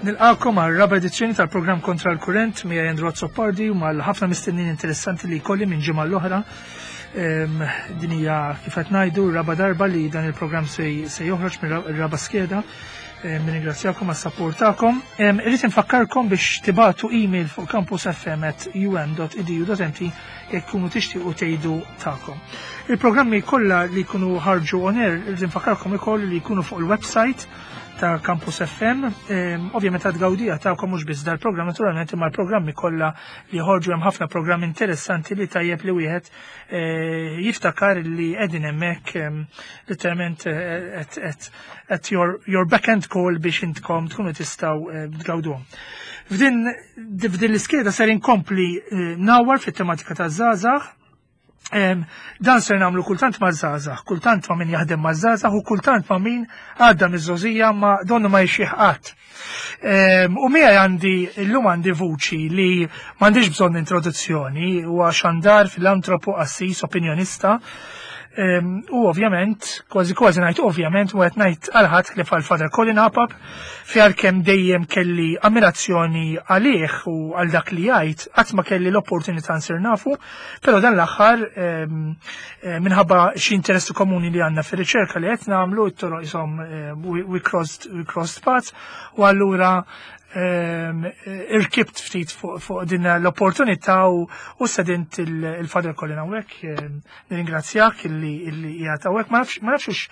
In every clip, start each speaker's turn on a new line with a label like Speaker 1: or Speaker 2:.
Speaker 1: Nilqakom għal raba edizzjoni tal-programm Kontra l-Kurrent miegħi Andrew Azzopardi u mal-ħafna mistennin interessanti li jkolli minn ġimgħa l-oħra. Din hija kif qed ngħidu raba darba li dan il-programm se joħroġ mir-raba skeda. Nirringrazzjakom għas-sapport tagħkom. Irrid infakkarkom biex tibatu email fuq campusfm@um.edu.mt jekk tkunu tixtiequ tgħidu tagħkom. Il-programmi kollha li jkunu ħarġu on air, irrid infakkarkom ukoll li jkunu fuq il-website ta' Campus FM. Ovvjament għad gawdija tagħkom mhux biss dal-programm naturalment imma l-programmi kollha li ħorġu hemm ħafna programmi interessanti li tajjeb li wieħed eh, jiftakar li qegħdin hemmhekk literalment eh, at your, your back end call biex intkom tkunu tistgħu eh, tgawduhom. F'din f'din l-iskeda ser inkompli nawar fit-tematika ta' żgħażagħ Dan ser namlu kultant ma' żgħażagħ, kultant ma' min jaħdem ma' żgħażagħ u kultant ma' min għadda miż-żożija ma' donnu ma jxieħ qatt. U miegħi għandi illum għandi vuċi li m'għandix bżonn introduzzjoni huwa xandar filantropu qassis opinjonista U ovvjament, kważi kważi ngħid ovvjament, u qed ngħid għal ħadd li għal Father Colin Apap, fi għalkemm dejjem kelli ammirazzjoni għalih u għal dak li jgħid, qatt ma kelli l-opportunità nsir nafu, però dan l-aħħar eh, minħabba xi interessi komuni li għandna fir-riċerka li qed nagħmlu, it-toroq isom eh, we crossed we crossed paths, u allura irkibt ftit fuq din l-opportunità u sedint il-Father Colin hawnhekk. Nirringrazzjak illi illi qiegħed hawnhekk. Ma nafx ma nafx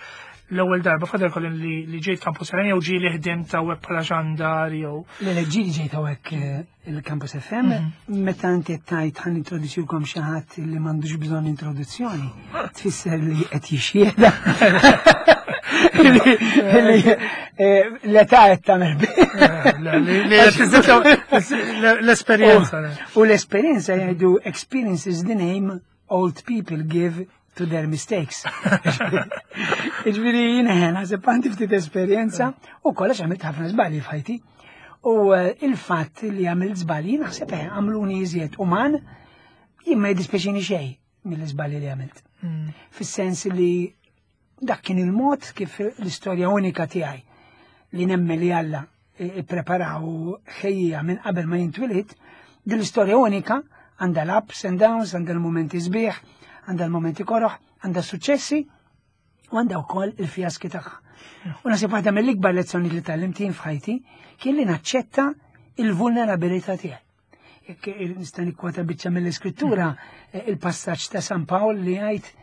Speaker 1: l-ewwel darba Father Colin li li ġejt Campus FM jew ġieli ħdimt hawnhekk bħala xandar jew.
Speaker 2: Le le ġieli ġejt hawnhekk eh, il-Campus FM, mhm. meta inti tajt ħan introduċilkom xi ħadd li m'għandux bżonn introduzzjoni, tfisser li qed jixxieda. Eh, l-età qed tagħmel
Speaker 1: L-esperjenza.
Speaker 2: U l-esperjenza jgħidu experience is the name old people give to their mistakes. Iġviri jina ħena, naħseb għandi ftit esperjenza u kollox għamilt ħafna żbalji f'ħajti. U eh, il-fatt li għamilt żbalji naħseb eh, għamluni iżjed uman jien ma jiddispjaċini xejn mill-iżbalji li għamilt. Mm. Fis-sens li Dak kien il-mod kif l-istorja unika tiegħi li nemmen li Alla ipprepara u ħejjija minn qabel ma jintwilid, din l-istorja unika għandha l-ups and downs, għandha l-momenti sbieħ, għandha l-momenti koroħ, għandha suċċessi u għandha wkoll il-fjaski tagħha. U nasib waħda mill-ikbar lezzjoni li tgħallimt jien f'ħajti kien li naċċetta il-vulnerabilità tiegħi. Jekk nista' nikkwota biċċa mill-iskrittura, eh, il-passaġġ ta' San Pawl li jgħid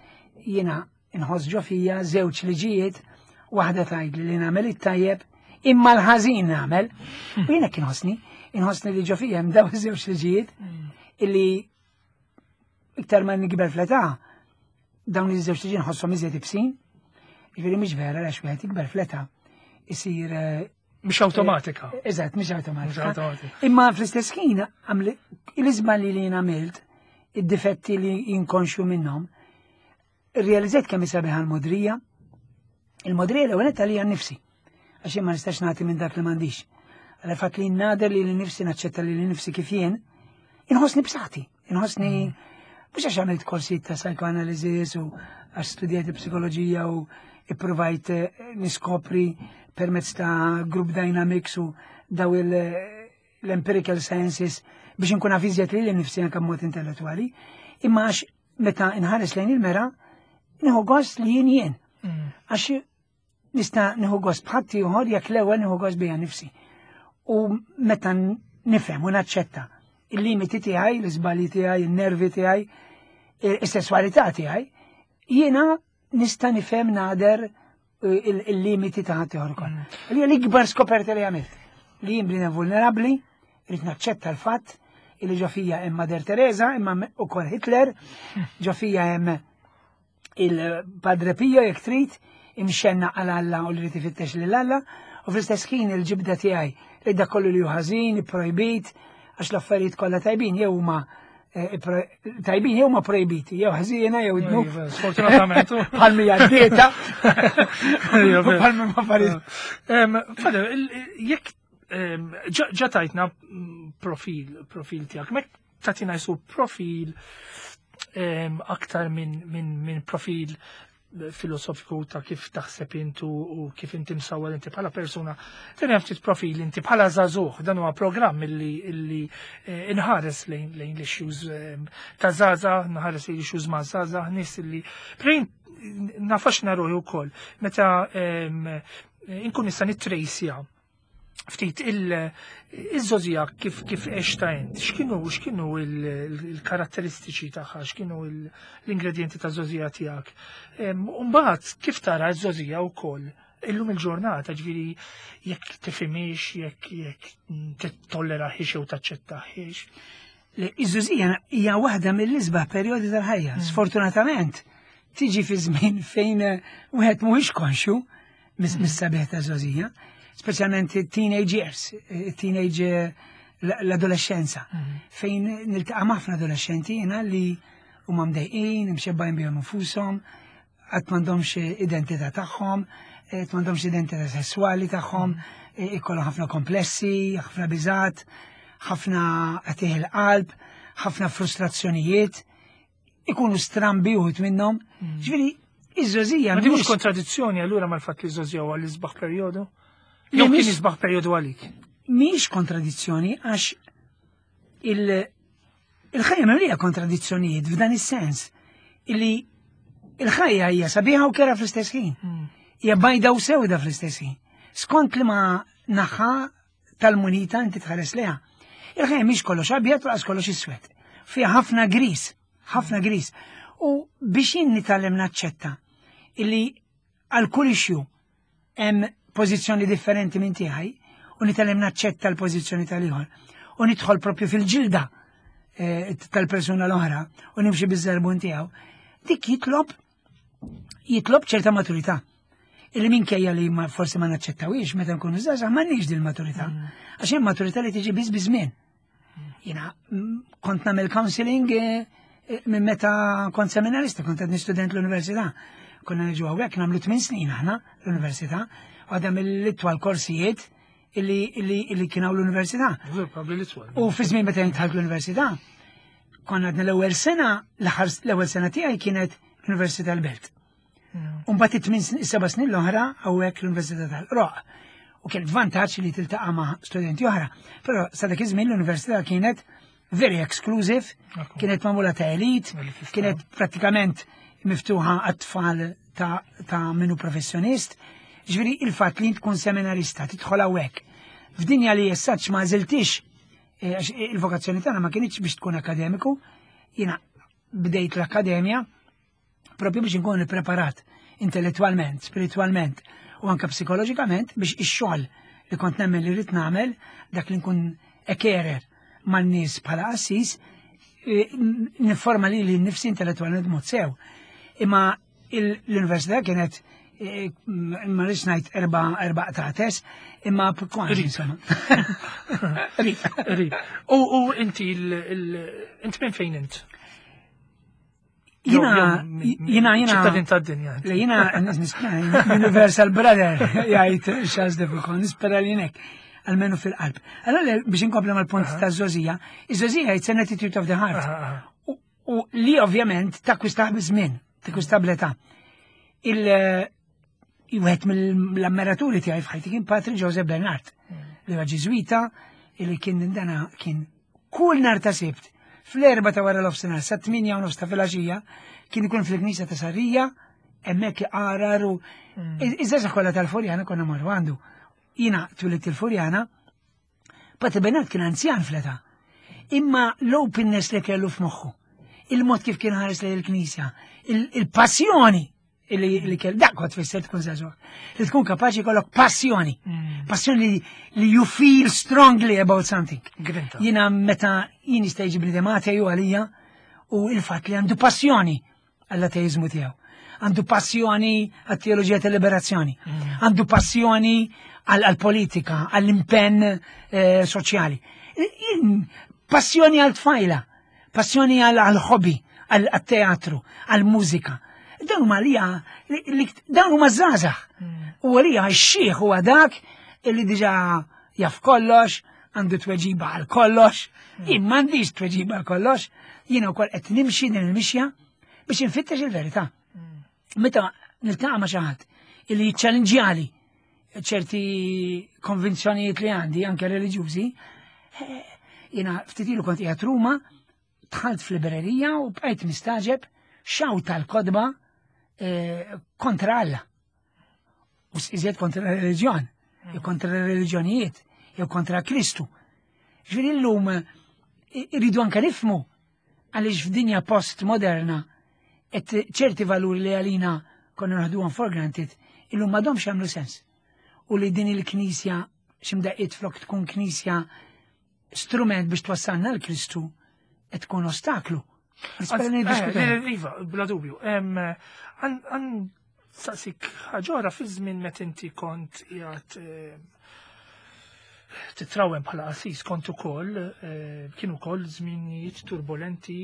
Speaker 2: jiena inħoss ġo fija żewġ liġijiet, waħda tgħidli li nagħmel it-tajjeb, imma l-ħażin nagħmel. U jiena kien ħossni, inħossni li ġo fija hemm daw iż-żewġ liġijiet illi iktar ma nikber fl-età, dawn iż-żewġ liġijiet nħosshom iżjed ibsin. Jiġifieri mhix vera għax wieħed ikber fl-età isir eh,
Speaker 1: Mhix awtomatika.
Speaker 2: Eh, eżatt, mhix awtomatika. Imma fl-istess ħin l-iżbalji li jien għamilt, id-difetti li inkonxju minnhom, Irrealizzajt kemm hi sabiħa l-modrija. Il-modrija l-ewwel nett għalija nnifsi, għax jien ma nistax nagħti minn dak li m'għandix. Għal fatt li nader li l-nifsi naċċetta li l-nifsi kif jien, inħossni b'saħħti, inħossni mm. mhux għax għamilt korsijiet ta' psychoanalysis u għax studjajt psikoloġija u ippruvajt eh, niskopri permezz ta' group dynamics u daw l-empirical sciences biex nkun naf iżjed li l-nifsi anke mod intellettwali, imma għax meta nħares lejn il-mera, nieħu gost li jien jien. Mm. Għax nista' nieħu gost bħadd ieħor jekk l-ewwel nieħu gost bija nifsi. U meta nifhem u naċċetta il-limiti tiegħi, l-iżbalji tiegħi, il-nervi tiegħi, is-sesswalità tiegħi, jiena nista' nifhem nader eh, il-limiti ta' ħadd ieħor ukoll. Mm. Li l-ikbar skoperta li għamilt li jien bniedem vulnerabbli, rrid naċċetta l-fatt illi ġo fija hemm Mother Teresa, imma ukoll Hitler, ġo fija hemm il-Padre Pio jekk trid, imxenna għal Alla u li rrid ifittex lil Alla, u fl-istess ħin il-ġibda tiegħi li dak kollu li hu ħażin, ipprojbit, għax l-affarijiet kollha tajbin jew huma eh, tajbin jew ma projbiti, jew ħżiena jew dnub.
Speaker 1: Iva, sfortunatament.
Speaker 2: Bħal mija dieta. Bħal minn affarijiet.
Speaker 1: Father, jekk ġa tajtna mm, profil, profil tiegħek, mek tatina jisu profil aktar minn min, min profil filosofiku ta' kif taħseb intu u kif inti msawwar inti bħala persuna. Tini ftit profil inti bħala żagħżugħ, dan huwa programm illi illi eh, inħares lejn lejn l-issues eh, ta' żgħażagħ, nħares lejn l-issues ma' żgħażagħ, nies illi prejn nafax naruħi wkoll meta ehm, inkun nista' nittrejsja ftit il-żozija kif kif għexta int, x'kienu x'kienu il-karatteristiċi tagħha, x'kienu l-ingredienti ta' żozija tiegħek. Mbagħad kif tara ż-żozija wkoll illum il-ġurnata, ġifieri jekk tifhimix, jekk jekk tittolleraħiex jew taċċettaħiex.
Speaker 2: Iż-żużija hija waħda mill-isbaħ perjodi tal-ħajja. Sfortunatament, tiġi fi żmien fejn wieħed mhuwiex konxju mis-sabiħ ta' żgħożija, speċjalment teenage years, teenage eh, l-adolescenza, fejn niltaqa' ma' ħafna adolescenti jiena li huma mdejqin, imxebbajn bihom infushom, qatt m'għandhomx identità tagħhom, qatt m'għandhomx identità sesswali tagħhom, eh, ikollhom ħafna komplessi, ħafna biżat, ħafna qatih il-qalb, ħafna frustrazzjonijiet, ikunu strambi uħut minnhom. Ġifieri, iż-żożija.
Speaker 1: Ma mhux kontradizzjoni allura mal-fatt li żożija huwa l-isbaħ perjodu? Jew kien isbaħ perjodu għalik?
Speaker 2: Mhix kontradizzjoni għax il-ħajja mimlija kontradizzjonijiet f'dan is-sens illi il-ħajja hija sabiħa u kera fl-istess ħin. Hija bajda u sewda fl-istess ħin. Skont li ma naħa tal-munita inti tħares leha. Il-ħajja mhix kollox abjad u kollox iswed. Fiha ħafna gris, ħafna gris. U biex jien nitgħallem naċċetta illi għal kull issue hemm pożizzjoni differenti minn tiegħi u nitgħallem naċċetta l-pożizzjoni tal-ieħor u nidħol propju fil-ġilda eh, tal-persuna l-oħra u nimxi biż-żarbun tiegħu, dik jitlob jitlob ċerta maturità. Illi minkejja li ma forsi ma naċċettawiex meta nkunu żgħażagħ m'għandniex din il-maturità. Għax hemm maturità li tiġi biss biż-żmien. Jiena kont nagħmel counseling eh, eh, minn meta kont seminarista, kont għadni student l-università. Konna niġu hawnhekk nagħmlu tmien snin aħna l-università, u għadha mill-itwal korsijiet illi, illi, illi kien hawn l-università. U fi żmien meta jintħalt l-università, konna għadna l-ewwel sena, l-ewwel sena tiegħi kienet l-Università l-Belt. U mbagħad it-tmien seba' snin l-oħra hawnhekk l-Università tal-Qroq. U kien vantaġġ li tiltaqa' ma' studenti oħra. Però sa dak iż-żmien l-università kienet very exclusive, kienet magħmula ta' elit, kienet prattikament miftuħa għat-tfal ta', ta minu professjonist. Ġifieri il-fatt li tkun seminarista tidħol hawnhekk. F'dinja li jessaċ ma għażiltix eh, għax il-vokazzjoni tagħna ma kienitx biex tkun akademiku, jiena bdejt l-akkademja propju biex inkun ippreparat intellettwalment, spiritwalment u anke psikoloġikament biex ix-xogħol li kont nemmen li rrid nagħmel dak li nkun ekerer man-nies bħala qassis e, niforma li li nnifsi intellettwalment mod sew. Imma l-università kienet e, ma rridx ngħid erba' erba' qtates, imma kważi insomma.
Speaker 1: Rib. Rib. U inti int minn fejn int?
Speaker 2: Jina, jina, jina.
Speaker 1: ċittadin ta' dinja.
Speaker 2: Le, jina, Universal Brother, jgħid Charles de Foucault, nispera li nek, almenu fil-qalb. Allora, biex inkomplu mal-punt ta' zozija, iż-żozija it's an attitude of the heart. U li ovvjament takkwistaħ biż-żmien, takkwistaħ bl-età. Il wieħed mill-ammiraturi tiegħi f'ħajti kien Patri Joseph Bernard, li huwa Ġiżwita, li kien dana kien kull nar ta' Sibt, fl-erba ta' wara l-ofsinhar sa' 8 u nofs ta' filgħaxija, kien ikun fil-knisja ta' Sarija, hemmhekk iqarar u mm. iż-żgħażagħ kollha tal-Furjana konna marru għandu. Jiena twilidt il-Furjana, Patri Bernard kien anzjan fl-età. Imma l-openness li kellu f'moħħu, il-mod kif kien ħares lejn il-knisja, il-passjoni li kell dak kont tfisser tkun żagħżugħ. Li tkun kapaċi jkollok passjoni. Mm. Passjoni li you feel strongly about something. Jiena meta jien jista' jiġi bniedem ateju għalija u il-fatt li għandu passjoni għall-ateizmu tiegħu. Għandu passjoni għat-teoloġija tal-liberazzjoni. Mm. Għandu passjoni għall-politika, għall-impenn eh, soċjali. Passjoni għal-tfajla. Passjoni għal-hobby, għal-teatru, għal-mużika. Dawn huma li dawn huma żgħażagħ. Hmm. U għalija x-xieħ huwa dak li diġà jaf kollox, għandu tweġiba għal kollox, hmm. jien m'għandix tweġiba għal kollox, jiena wkoll qed nimxi din il-mixja biex infittex il-verità. Hmm. Meta niltaqa' ma' xi ħadd illi jiċċalinġjali ċerti konvinzjonijiet li għandi anke reliġjużi, eh, jiena ftit ilu kont qiegħed Ruma, dħalt f'librerija u bqajt mistaġeb xaw tal-kodba eh, kontra Alla. U iżjed kontra reliġjon, jew kontra reliġjonijiet, jew kontra Kristu. Ġifieri llum eh, irridu anke nifmu għaliex f'dinja post-moderna qed ċerti valuri li għalina konna naħduhom for granted illum m'għadhomx jagħmlu sens. U li din il-knisja x'imdaqqiet flok tkun knisja strument biex twassalna l-Kristu qed tkun ostaklu.
Speaker 1: Eh, iva, bla dubju. Għan saqsik ħaġora fi żmien meta inti kont qiegħed titrawem bħala qassis kont ukoll eh, kienu ukoll żminijiet turbolenti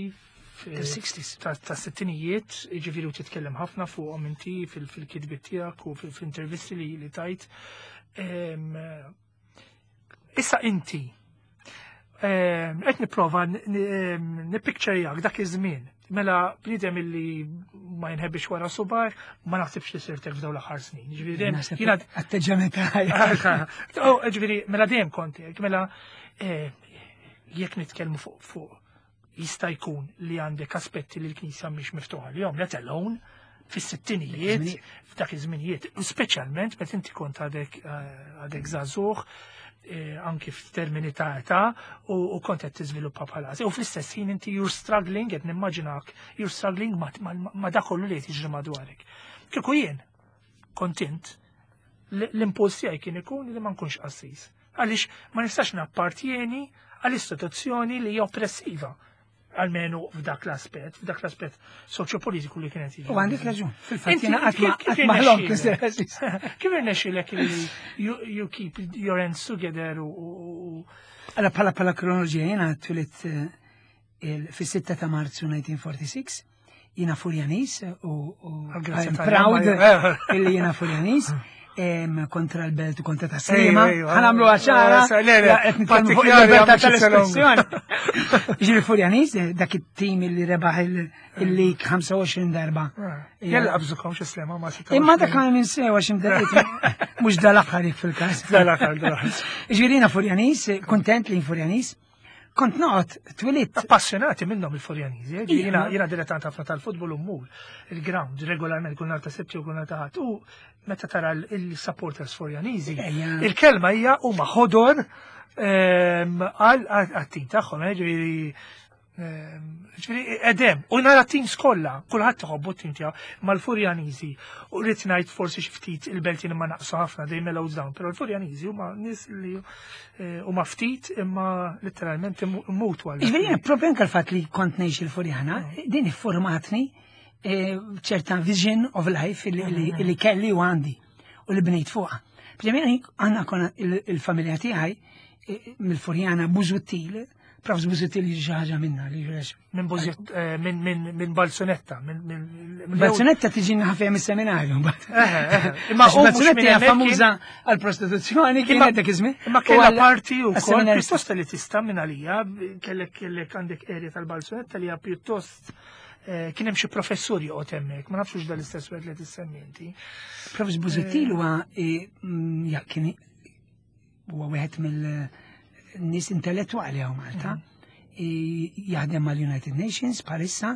Speaker 2: fil-60s
Speaker 1: ta' sittinijiet, ġifieri u titkellem ħafna fuqhom inti fil-kitbiet tiegħek u fil-intervisti li tajt. Issa inti, qed nipprova nippikċerjak dak iż-żmien. Mela bniedem illi ma jinħebbix wara subar, ma naħsibx li sirtek f'dawn l-aħħar snin.
Speaker 2: Ġifieri dejjem jiena atteġġament ħajja.
Speaker 1: Oh, ġifieri mela dejjem kont hekk, mela eh, jekk nitkellmu fuq fuq jista' jkun li għandek aspetti li l-Knisja mhix miftuħa lihom, let alone fis-sittinijiet, f'dak iż-żminijiet, speċjalment meta inti kont għadek eh, għadek żagħżugħ eh, anki f'termini ta' età u kont qed tiżviluppa bħala. U fl-istess ħin inti you're struggling, qed nimmaġinak, you're struggling ma' dak kollu li qed jiġri madwarek. Kieku jien kontent l-impuls tiegħi kien ikun li ma nkunx qassis. Għaliex ma nistax nappartjeni għal istituzzjoni li hija oppressiva almenu f'dak l-aspett, f'dak l-aspett soċjopolitiku li kienet
Speaker 2: jiġi. U għandek raġun. Fil-fatt jiena qatt ma ħlom
Speaker 1: Kif irnexxilek li you keep your ends together u
Speaker 2: Alla bħala bħala kronoloġija jiena twilit eh, fis-6 ta' Marzu 1946 jiena Furjanis u I'm proud illi jiena Furjanis kontra l-belt u kontra ta' sema. Ħanamlu għaxara, qed nitkellmu fuq il-libertà tal-espressjoni. Ġifieri Furjanis, eh, dak it-tim illi rebaħ il-lig 25 darba.
Speaker 1: Eh, Jella qabżukom xi slema ma
Speaker 2: Imma dak għal minn sewa x'imdaqqiet mhux dal-aħħar fil-każ.
Speaker 1: Dal-aħħar, dal-aħħar.
Speaker 2: Ġifieri jiena Furjanis, kontent li Furjanis. Kont noqgħod twilidt.
Speaker 1: Appassjonati minnhom il-Furjaniżi, eh, jiena jiena dilettant ħafna tal-futbol u mmur il-ground regolarment kull nhar ta' Sibt jew kull nhar ta' Ħadd. U meta tara l-supporters Furjaniżi, il-kelma hija huma ħodor ehm, għal għat-tim tagħhom, eh, ġifieri Ġifieri edem, u nara teams kollha, kulħadd iħobbu t-tim tiegħu, mal-Furjaniżi. U rrid ngħid forsi xi ftit il-Beltin imma naqsu ħafna dejjem mellows down, però l-Furjaniżi huma nies li eh, huma ftit imma letteralment immutu
Speaker 2: għal. Ġifieri propju anke l-fatt li kont ngħix il-Furjana, mm. din ifformatni eh, ċerta vision of life li mm. kelli u għandi u li bnejt fuqha. Ġifieri għandna konna il-familja tiegħi eh, mill-Furjana Bużuttil, Prof Busuttil jiġi xi ħaġa minna li
Speaker 1: jiġi. Minn Bużut eh, minn Balzunetta.
Speaker 2: Balzunetta tiġi ħafja mis-seminarju mbagħad. Eh, eh, imma Balzunetta hija famuża għall-prostituzzjoni kienet dak iż-żmien.
Speaker 1: Imma kellha parti wkoll pjuttost li tista' minn għalija kellek kellek għandek area tal-Balzunetta li hija pjuttost kien hemm xi professur joqgħod hemmhekk, ma nafx dal-istess wieħed li tissemmi inti.
Speaker 2: Prof Busuttil huwa mm, kien huwa wieħed mill-nies intellettwali hawn Malta. Mhm. Jaħdem mal-United Nations bħalissa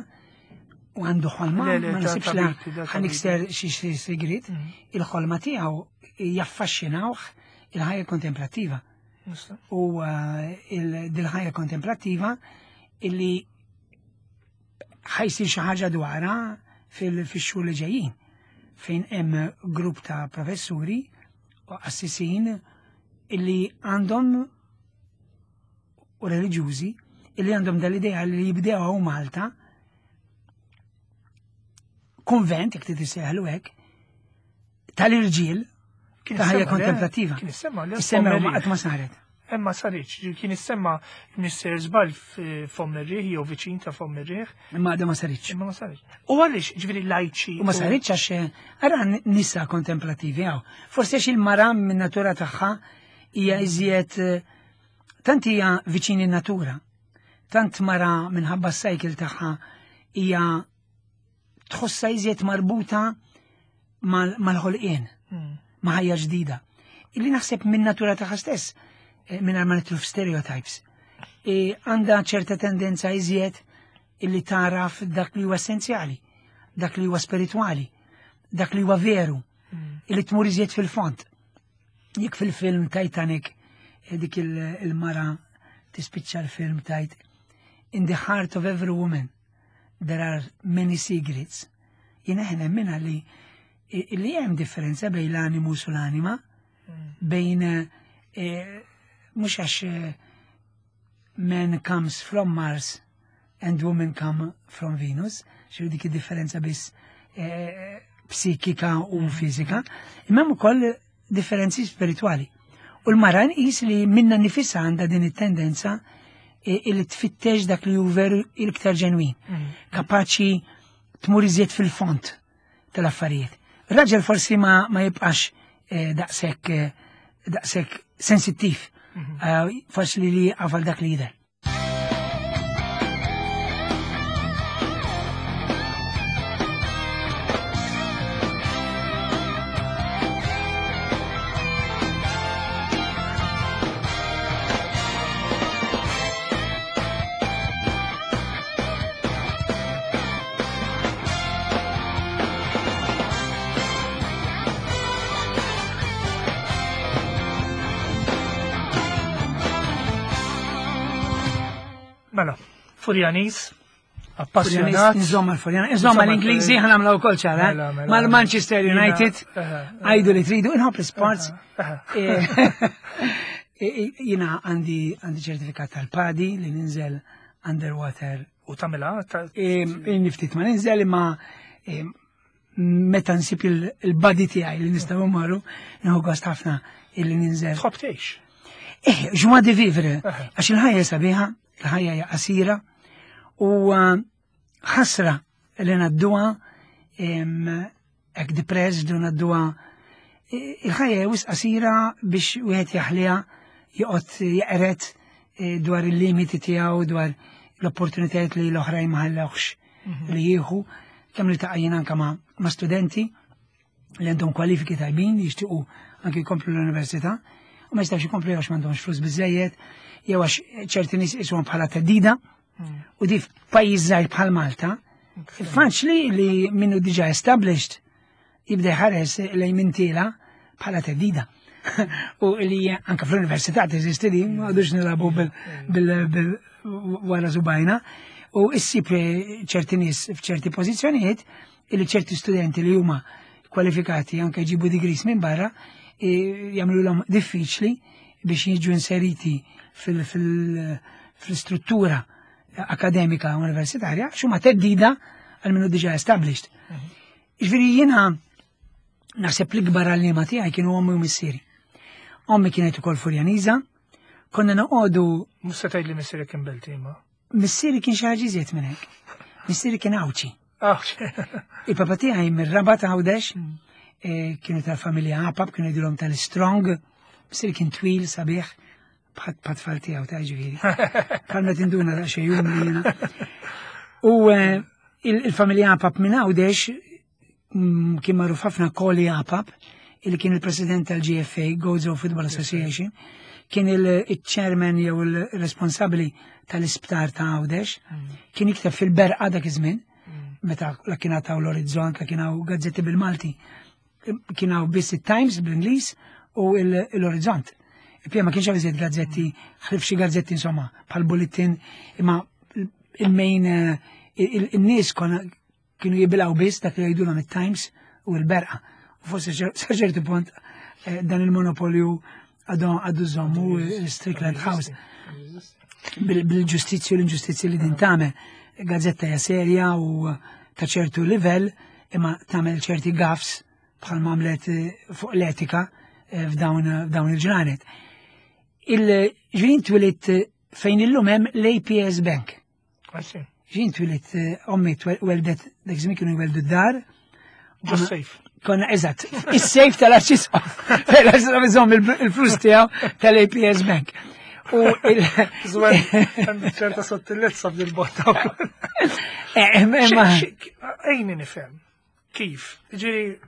Speaker 2: u għandu ħolma, ma nasibx la ħanikser xi sigrit, mhm. il-ħolma tiegħu jaffaxxinawh il-ħajja kontemplattiva. U eh, dil-ħajja kontemplattiva illi ħajsir xi ħaġa dwarha fil-xhur li ġejjin fejn hemm grupp ta' professuri u qassisin illi għandhom u reliġjużi illi għandhom dal-idea li jibdew hawn Malta konvent, jek trid hekk, tal-irġiel ta' ħajja kontemplattiva.
Speaker 1: Kien issemma,
Speaker 2: issemma ma qatt ma saret.
Speaker 1: Imma saritx, kien issemma Mr. Żball f'Fomm ir-Riħ jew viċin ta' Fomm ir-Riħ.
Speaker 2: Imma għadha ma saritx.
Speaker 1: Imma ma saritx. U għaliex ġifieri lajċi.
Speaker 2: U ma saritx għax eh, ara nisa kontemplativi hawn. Forsi għax il-mara minn natura tagħha hija iżjed eh, tant hija viċin in-natura. Tant mara minħabba s-cycle tagħha hija tħossha iżjed marbuta mal-ħolqien, ma' ħajja ġdida. Illi naħseb minn natura tagħha stess, eh, minn ma nitlu f'stereotypes, e, għandha ċerta tendenza iżjed illi taraf dak li huwa essenzjali, dak li huwa spiritwali, dak li huwa veru, illi tmur iżjed fil-fond. Jekk fil-film Titanic eh, dik il-mara tispiċċa l-film tajt In the heart of every woman there are many secrets. Jiena ħna minna li li hemm differenza bejn l-animus u l-anima, mm. bejn eh, mhux għax eh, man comes from Mars and women come from Venus, xi dik id-differenza biss eh, psikika u mm. fizika, imma hemm ukoll differenzi spiritwali. U l-mara nqis li minna nifisha għandha din it-tendenza li tfittex dak li hu veru l-iktar ġenwin, mm. kapaċi tmur iżjed fil-font tal-affarijiet. Raġel forsi ma, ma jibqax eh, daqshekk eh, daqshekk sensittiv, mm-hmm. eh, forsi li li għafal dak li jidher.
Speaker 1: Mela, Furjanis, appassjonat.
Speaker 2: Insomma, l-Furjan, insomma l-Ingliżi ħanamla wkoll ċara. Eh? Mela, mela. Mal-Manchester United, għajdu li tridu, inħobb l-sports. Eh, eh, jina għandi għandi ċertifikat tal-padi li ninżel underwater.
Speaker 1: U tamela?
Speaker 2: Niftit ma ninżel imma meta nsib il-body tiegħi li nistgħu marru, nieħu gost ħafna illi ninżel.
Speaker 1: Tħobb tgħix.
Speaker 2: Eh, ġwa di vivre, għax il-ħajja sabiħa, il-ħajja hija qasira u uh, ħasra li nadduha hekk depressed u nadduha il-ħajja hija wisq qasira biex wieħed jaħliha joqgħod jeqret eh, dwar il-limiti tiegħu dwar l-opportunitajiet li l-oħrajn ma ħallewx mhm. li jieħu kemm li taqajjin anka ma, ma studenti li għandhom kwalifiki tajbin li jixtiequ anke jkomplu l-università u ma jistgħux jkomplu għax m'għandhomx flus biżejjed jew għax ċerti nies isuhom bħala teddida mm. u di f'pajjiż żgħir bħal Malta faċli li minnu diġà established jibda jħares lejn min tiela bħala teddida. U li anka fl-università teżisti li ma għadux nilabu bil wara subajna. U issib ċerti nies f'ċerti pożizzjonijiet illi ċerti studenti li huma kwalifikati anke jġibu degrees minn barra jagħmluhom diffiċli biex jiġu inseriti fil-struttura akademika universitarja x'huma teddida għal minnu diġà established. Mhm. Ġifieri jiena naħseb l-ikbar għalliema tiegħi kienu ommi u missieri. Ommi kienet ukoll Furjaniża, konna noqogħdu.
Speaker 1: Mhux se tgħidli missieri kien Belti ma.
Speaker 2: Missieri kien xi ħaġa iżjed minn hekk. Missieri kien Għawdxi. Il-papa tiegħi mir-Rabat Għawdex, mm. eh, kienu tal-familja Apap, kienu jgħidulhom tal-Strong, missieri kien twil sabiħ, bħat tfal tiegħu ta' ġifieri. Bħal ma tinduna ta' xejn li jiena. U eh, il-familja Apap minn Għawdex mm, kien magħruf ħafna Koli Apap, il kien il-president tal-GFA, Gozo Football Association, kien il-chairman jew il-responsabbli tal-isptar ta' Għawdex, mm. kien jikteb fil-berqa dak iż-żmien, mm. meta la kien għataw l-Orizzont, la kien hawn gazzetti bil-Malti kien hawn biss it-Times bl-Ingliż u l-Orizzont. Il-pija ma kienx hawn iżjed gazzetti, ħlif xi gazzetti insomma, bħal bulletin, imma il-main eh, il-nies kienu jibilgħu biss dak li jgħidulhom it-Times u l-Berqa. U forsi sa ċertu punt eh, dan il-monopolju għadu żommu l-Strickland House bil-ġustizzju l-inġustizzju li din tagħmel. Gazzetta hija serja u ta' ċertu livell imma tagħmel ċerti gaffs bħal għamlet eh, fuq l-etika eh, f'dawn il-ġranet. Il-ġrin twilit eh, fejn illum hemm l-APS Bank. Ġin twilit ommi weldet dak żmien kienu jweldu d-dar.
Speaker 1: Ġo safe.
Speaker 2: Konna eżatt, is-safe tal-arċisqof. L-arċisqof iżomm il-flus tiegħu tal-APS Bank. U il
Speaker 1: Żwen, ċerta sottilezza f'dil-botta.
Speaker 2: Eh,
Speaker 1: Ejni nifhem. Kif? Ġiri,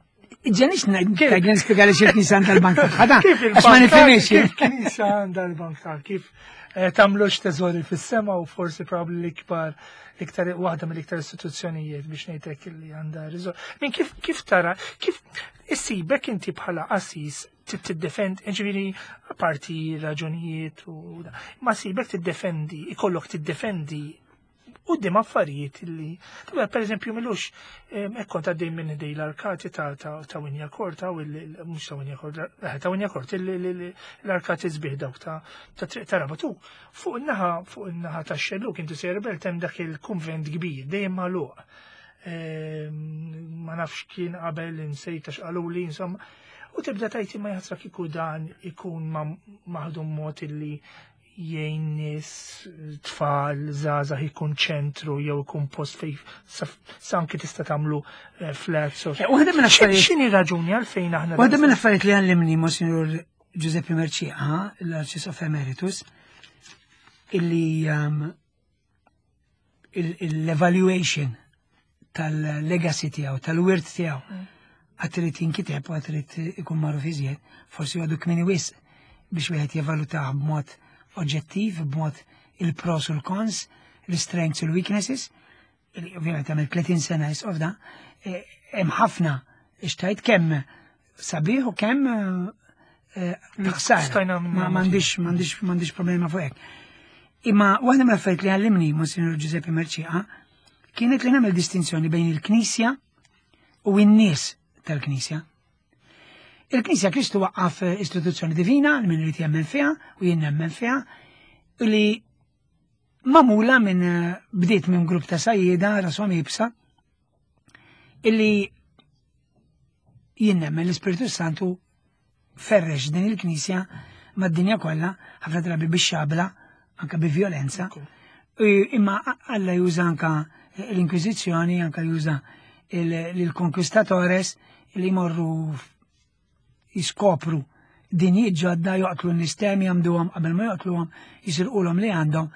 Speaker 2: Ġenix ngħid nispjega li xi knisja għandha l-bank tagħha. Għax ma nifhimx.
Speaker 1: Kif knisja għandha l-bank tagħha? Kif eh, tagħmlux teżori fis-sema u forsi probabbli l-ikbar iktar waħda mill-iktar istituzzjonijiet biex ngħidlek li għandha riżor. Min kif kif tara kif issibek inti bħala qassis tiddefend, ġifieri parti raġunijiet u ma sibek tiddefendi, ikollok tiddefendi quddiem affarijiet li, per eżempju, milux, ekkon ta' dejjem minn dej l-arkati ta' ta' Winja Kort, ta' mhux ta' Winja Kort, eh, ta' Winja Kort, l-arkati sbieħ dawk ta' triq ta' Rabatu. Fuq in-naħa, fuq in-naħa ta' xelluk inti sejjer belt hemm dak il-kunvent kbir, dejjem magħluq. Ma nafx kien qabel insejta x'qaluli, insomma. U tibda tajti ma jaħsra kieku dan ikun maħdum mod illi jgħin nies, tfal, żgħażagħ ikun ċentru jew ikun post fej sanki tista' tagħmlu eh, flats. Eh,
Speaker 2: waħda minn affarijiet.
Speaker 1: X'inhi raġuni għalfejn aħna.
Speaker 2: Waħda minn affarijiet li għallimni Monsignor Giuseppe Mercieca, l-Arċisqof Emeritus, illi um, l-evaluation tal-legacy tiegħu, tal-wirt tiegħu, mm. għad trid jinkiteb u għad trid ikun magħruf iżjed, forsi għadu kmini wisq biex wieħed jevalutah b'mod oġġettiv, b'mod il-pros u l-cons, l-strengths u l-weaknesses, ovvjament għamil 30 sena jisqof da, e, hemm ħafna xtajt kemm sabiħ u kemm eh, ħsara. Ma m'għandix m'għandix m'għandix problema fuq hekk. Imma waħda mill-affarijiet li għallimni Monsignor Giuseppe Merċieqa kienet li nagħmel distinzjoni bejn il-Knisja u n-nies tal-Knisja. Il-Knisja Kristu waqqaf istituzzjoni divina li min irid jemmen fiha u jien nemmen fiha li mamula minn bdiet minn grupp ta' sajjieda rashom ibsa illi jien nemmen l-Ispirtu Santu ferrex din il-Knisja mad-dinja kollha, ħafna drabi bix-xabla, anka bi violenza. Imma Alla juża anka l-Inkwiżizzjoni, anka juża l-Conquistatores li jmorru jiskopru dinjiet ġodda joqtlu n-nistemi jagħmduhom qabel ma joqtluhom jisirqulhom li għandhom.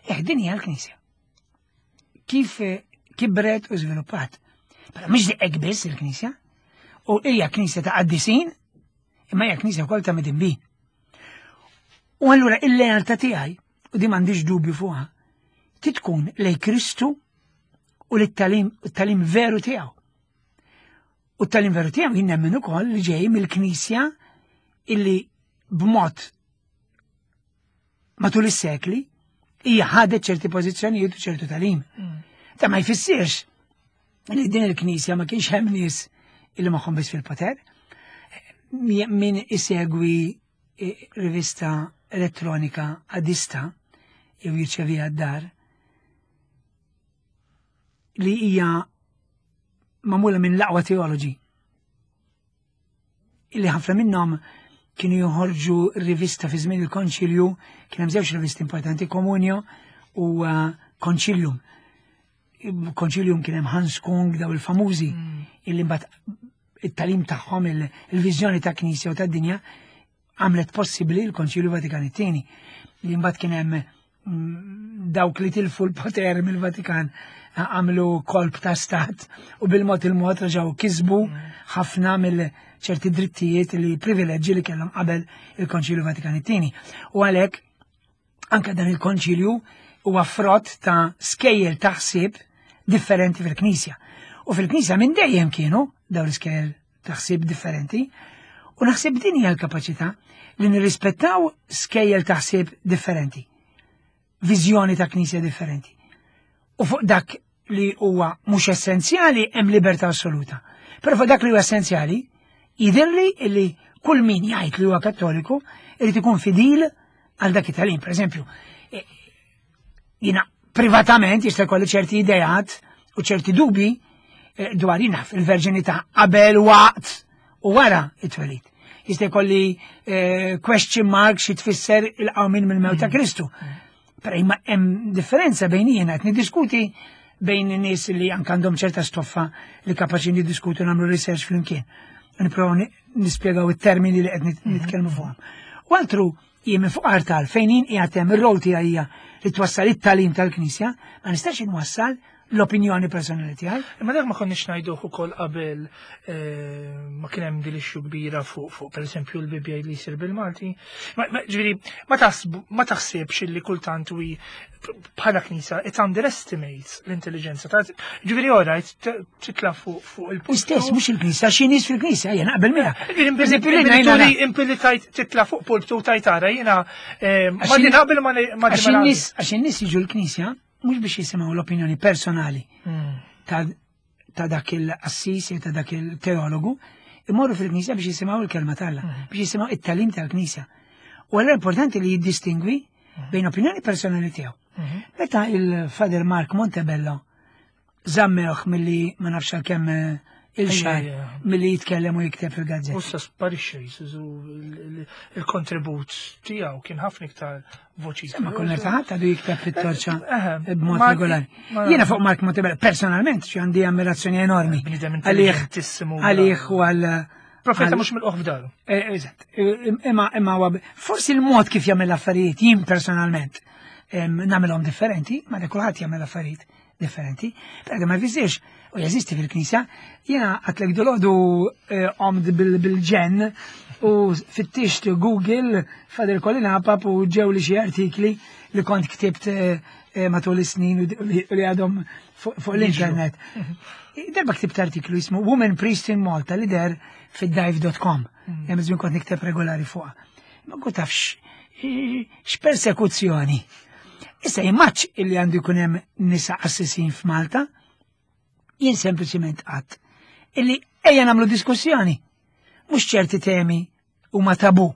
Speaker 2: Eh, din hija l-Knisja. Kif eh, kibret u żviluppat. Però mhix hekk biss il-Knisja. U hija Knisja ta' qaddisin, imma hija Knisja wkoll ta' midinbin. U allura il-lealtà tiegħi, u di m'għandix dubju fuqha, titkun lej Kristu u lit-talim veru tiegħu. U t-talim veru tiegħu jien nemmen ukoll li ġej mill-Knisja illi b'mod matul is-sekli hija ħadet ċerti pożizzjonijiet u ċertu talim. Mm. Ta' ma jfissirx li din il-Knisja ma kienx hemm nies illi magħhom biss fil-poter. Min isegwi eh, rivista elettronika adista jew jirċeviha d-dar li hija magħmula minn l-aqwa teoloġi. Illi ħafna minnhom kienu joħorġu rivista fi żmien il-Konċilju, kien hemm żewġ rivisti importanti, Komunio u uh, Concilium. Concilium kien hemm Hans Kung daw il-famużi mm. illi mbagħad it-talim tagħhom il-viżjoni ta' Knisja u tad-dinja għamlet possibbli l-Konċilju Vatikan it-tieni li mbagħad kien hemm mm, dawk li tilfu l-poter mill-Vatikan għamlu kolb ta' stat u bil-mod il-mod reġgħu kisbu mm. ħafna mill ċerti drittijiet li privileġġi li kellhom qabel il-Konċilju Vatikan it-tieni. U għalhekk anke dan il-konċilju huwa frott ta' skejjel ta' ħsieb differenti fil-Knisja. U fil-Knisja minn dejjem kienu dawn l-iskejjel ta' ħsieb differenti. U naħseb din hija l-kapaċità li nirrispettaw skejjel ta' ħsieb differenti, viżjoni ta' Knisja differenti. U fuq dak li huwa mhux essenzjali hemm libertà assoluta. Però fuq dak li huwa essenzjali, jidhirli li kull min jgħid li huwa kattoliku irid ikun fidil għal dak it-tagħlim. Per eżempju, e, jiena privatament jista' jkolli ċerti ideat u ċerti dubi e, dwar jiena fil-verġinità qabel waqt u wara it-twelid. Jista' jkolli e, question mark xi tfisser il-qawmin mill-mewt ta' mm. Kristu. Però imma hemm differenza bejn jiena qed niddiskuti bejn nies li anke għandhom ċerta stoffa li kapaċi niddiskutu nagħmlu research flimkien. Nipprovaw nispjegaw it-termini li qed mhm. nitkellmu fuqhom. U altru Jien minn fuq artal fejn jien qiegħed hemm ir-rol tiegħi hija li twassal it-tagħlim tal-Knisja, ma nistax inwassal l-opinjoni personali tiegħi.
Speaker 1: Imma dak ma konniex ngħiduh ukoll qabel eh, ma kien hemm din issue kbira fuq fuq pereżempju l-Bibbja li jsir bil-Malti. Ġifieri ma taħsibx illi kultant wi bħala knisa it underestimates l-intelligenza ta' ġifieri orajt titla fuq fuq
Speaker 2: il Istess mhux il-knisa xi nies fil-knisa jien naqbel miegħek.
Speaker 1: Ġifieri impilli tajt titla fuq pulptu tajt ara jiena eh, ma naqbel ma
Speaker 2: għax in-nies jiġu l-knisja mhux biex jisimgħu l-opinjoni personali hmm. ta' dak il-qassis jew ta' dak il-teologu, imorru fil-knisja biex jisimgħu il-kelma t'Alla, hmm. biex jisimgħu it-talim tal-knisja. U allura importanti li jiddistingwi hmm. bejn opinjoni personali tiegħu. Meta il-Father Mark Montebello żammewh milli ma nafx għal kemm eh, il-xar milli jitkellem u jikteb fil-gazzetta.
Speaker 1: U sa sparixxa il-kontribut tiegħu kien ħafna iktar voċi.
Speaker 2: Ma konna taħat għadu jikteb fit-torċa eh, eh, b'mod regolari. Jiena fuq Mark Montebello personalment xi għandi ammirazzjoni enormi.
Speaker 1: Għalih
Speaker 2: għalih u għal
Speaker 1: Profeta mhux mill-qoħ f'daru.
Speaker 2: Eżatt. Imma imma forsi l-mod kif jagħmel affarijiet jien personalment nagħmilhom differenti, ma kulħadd jagħmel affarijiet differenti, però ma jfissirx u jeżisti fil-Knisja, jiena għatlek dolodu eh, omd bil-ġen u fittixt Google Father Colin Apap u ġew li xi artikli li kont ktibt eh, eh, matul is-snin u li għadhom fuq l-internet. Darba ktibt artiklu jismu Women Priest in Malta li der fid-dive.com. Mm. Hemm żmien kont nikteb regolari fuqha. Ma kont tafx x'persekuzzjoni. Issa immaċ illi għandu jkun hemm nisa assisin f'Malta, jien sempliċiment qatt illi ejja nagħmlu diskussjoni. Mhux ċerti temi huma tabu.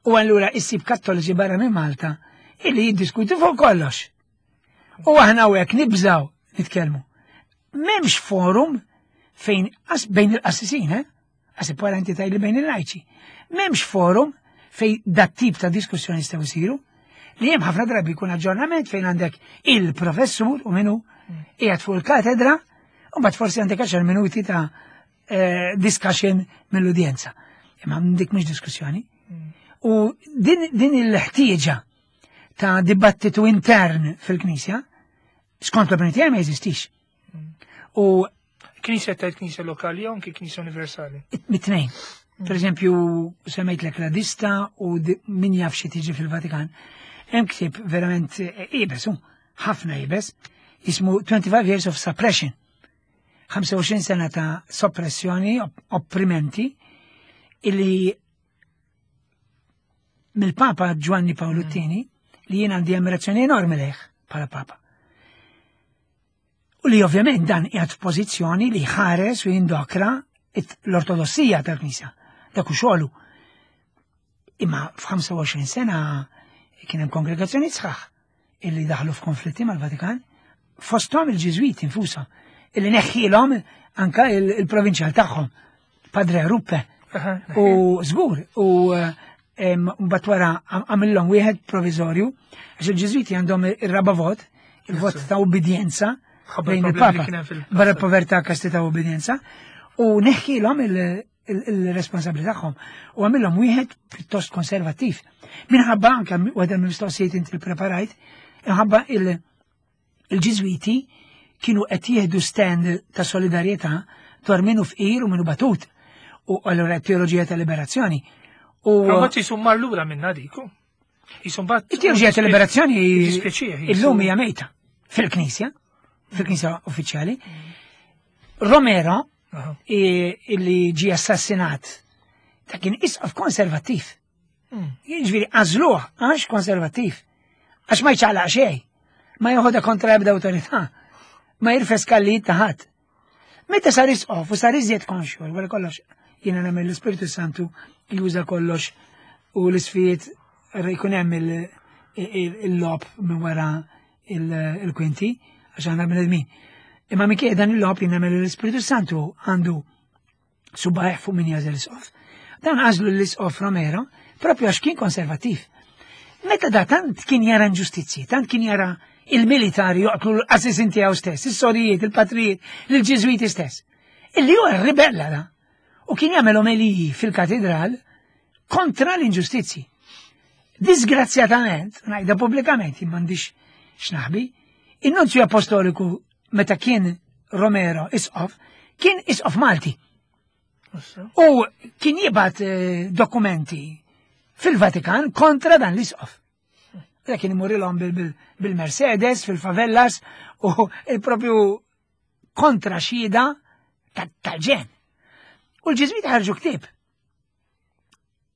Speaker 2: U allura issib kattoliċi barra minn Malta illi jiddiskutu fuq kollox. U aħna hawnhekk nibżaw nitkellmu. M'hemmx forum fejn bejn il-qassisin, eh? Għasib wara inti tajli bejn il-lajċi. M'hemmx forum fejn dat tip ta' diskussjoni jistgħu jsiru li hemm ħafna drabi jkun aġġornament fejn għandek il-professur u minnu qiegħed fuq il-katedra u mbagħad forsi għandek 10 minuti ta' eh, discussion mill-udjenza. Imma dik mhux diskussjoni. U din, din il-ħtieġa ta' dibattitu intern fil-Knisja, skont l-opinjoni tiegħi ma jeżistix.
Speaker 1: U Knisja tajt knisja lokali jew anki knisja universali?
Speaker 2: Mit-tnejn. Per eżempju, semmejt l radista u min jaf xi tiġi fil-Vatikan. Hemm ktieb verament eh, ibes, ħafna ibes, jismu 25 Years of Suppression. 25 sena ta' soppressjoni, opprimenti, illi mill-Papa Giovanni Paolo II, li jien għandi ammirazzjoni enormi lejh bħala Papa. U li ovvjament dan qiegħed f'pożizzjoni li jħares u jindokra l-ortodossija tal-Knisja. Dak hu xogħlu. Imma f'25 sena kien hemm kongregazzjoni sħaħ illi daħlu f'konflitti mal-Vatikan, fosthom il-Ġiżwiti infushom, illi neħħilhom anka il-provinċjal tagħhom, Padre Ruppe. U żgur, u mbagħad wara għamillhom wieħed provizorju, għax il-Ġiżwiti għandhom ir-raba vot, il-vot ta' ubbidjenza bejn il-Papa, barra povertà kastità u ubbidjenza, u neħħilhom il-responsabli tagħhom u għamilhom wieħed pjuttost konservattiv. Minħabba anke waħda mill-mistoqsijiet inti preparajt, minħabba il-Ġiżwiti kienu qed jieħdu stand ta' solidarjetà dwar minnu fqir u minnu batut u allura teoloġija ta' liberazzjoni.
Speaker 1: U mbagħad jisum mar lura minna diku.
Speaker 2: Jisum bat. It-teoloġija ta' liberazzjoni illum hija mejta fil-Knisja, fil-Knisja uffiċjali. Romero illi ġie assassinat ta' kien isqaf konservattiv. Hmm. Jiġifieri għażluh għax konservattiv. Għax ma jċaqlaq xejn. Ma joħodha kontra ebda awtorità. Ma jirfes kallijiet ta' ħadd. Meta sar isqof u sar iżjed konxju, wara kollox jiena nagħmel l-Ispirtu Santu juża kollox u l-isfijiet jkun hemm il-lob minn wara il-kwinti għax aħna bnedmin. Imma minkejja dan il-lob jien nagħmel l-Ispirtu Santu għandu subajh fuq min jażel isqof. Dan għażlu l-isqof Romero propju għax kien konservattiv. Meta da tant kien jara inġustizzji, tant kien jara il-militari joqtlu l-qassisin tiegħu stess, is-sorijiet, il-patrijiet, l-ġiżwiti stess. Illi huwa ribella da. U kien jagħmel omeliji fil-katedral kontra l-inġustizzji. Disgrazzjatament, ngħidha pubblikament, jien m'għandix x'naħbi, in-Nunzju Apostoliku meta kien Romero isqof, kien isqof Malti. U kien jibgħat eh, dokumenti fil-Vatikan kontra dan l-isqof. Da kien imurilhom bil-Mercedes, fil-favellas u il-propju kontra xhieda tal-ġen. U l-ġiżwiti ħarġu ktieb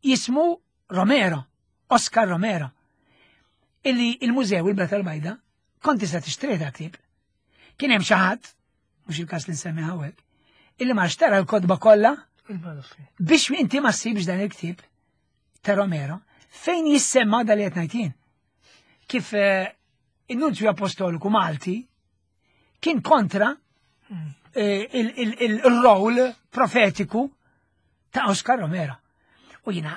Speaker 2: jismu Romero, Oscar Romero, illi il-mużew il-Blata l-Bajda kont tista' tixtri dak ktieb. Kien hemm xi ħadd, mhux il-każ li nsemmi hawnhekk, illi ma xtara l-kotba kollha biex inti ma ssibx dan il-ktieb ta' Romero fejn jissemma dal qed ngħid jien. Kif eh, in-Nunzju Apostoliku Malti kien kontra eh, il-rol profetiku ta' Oscar Romero. U jina,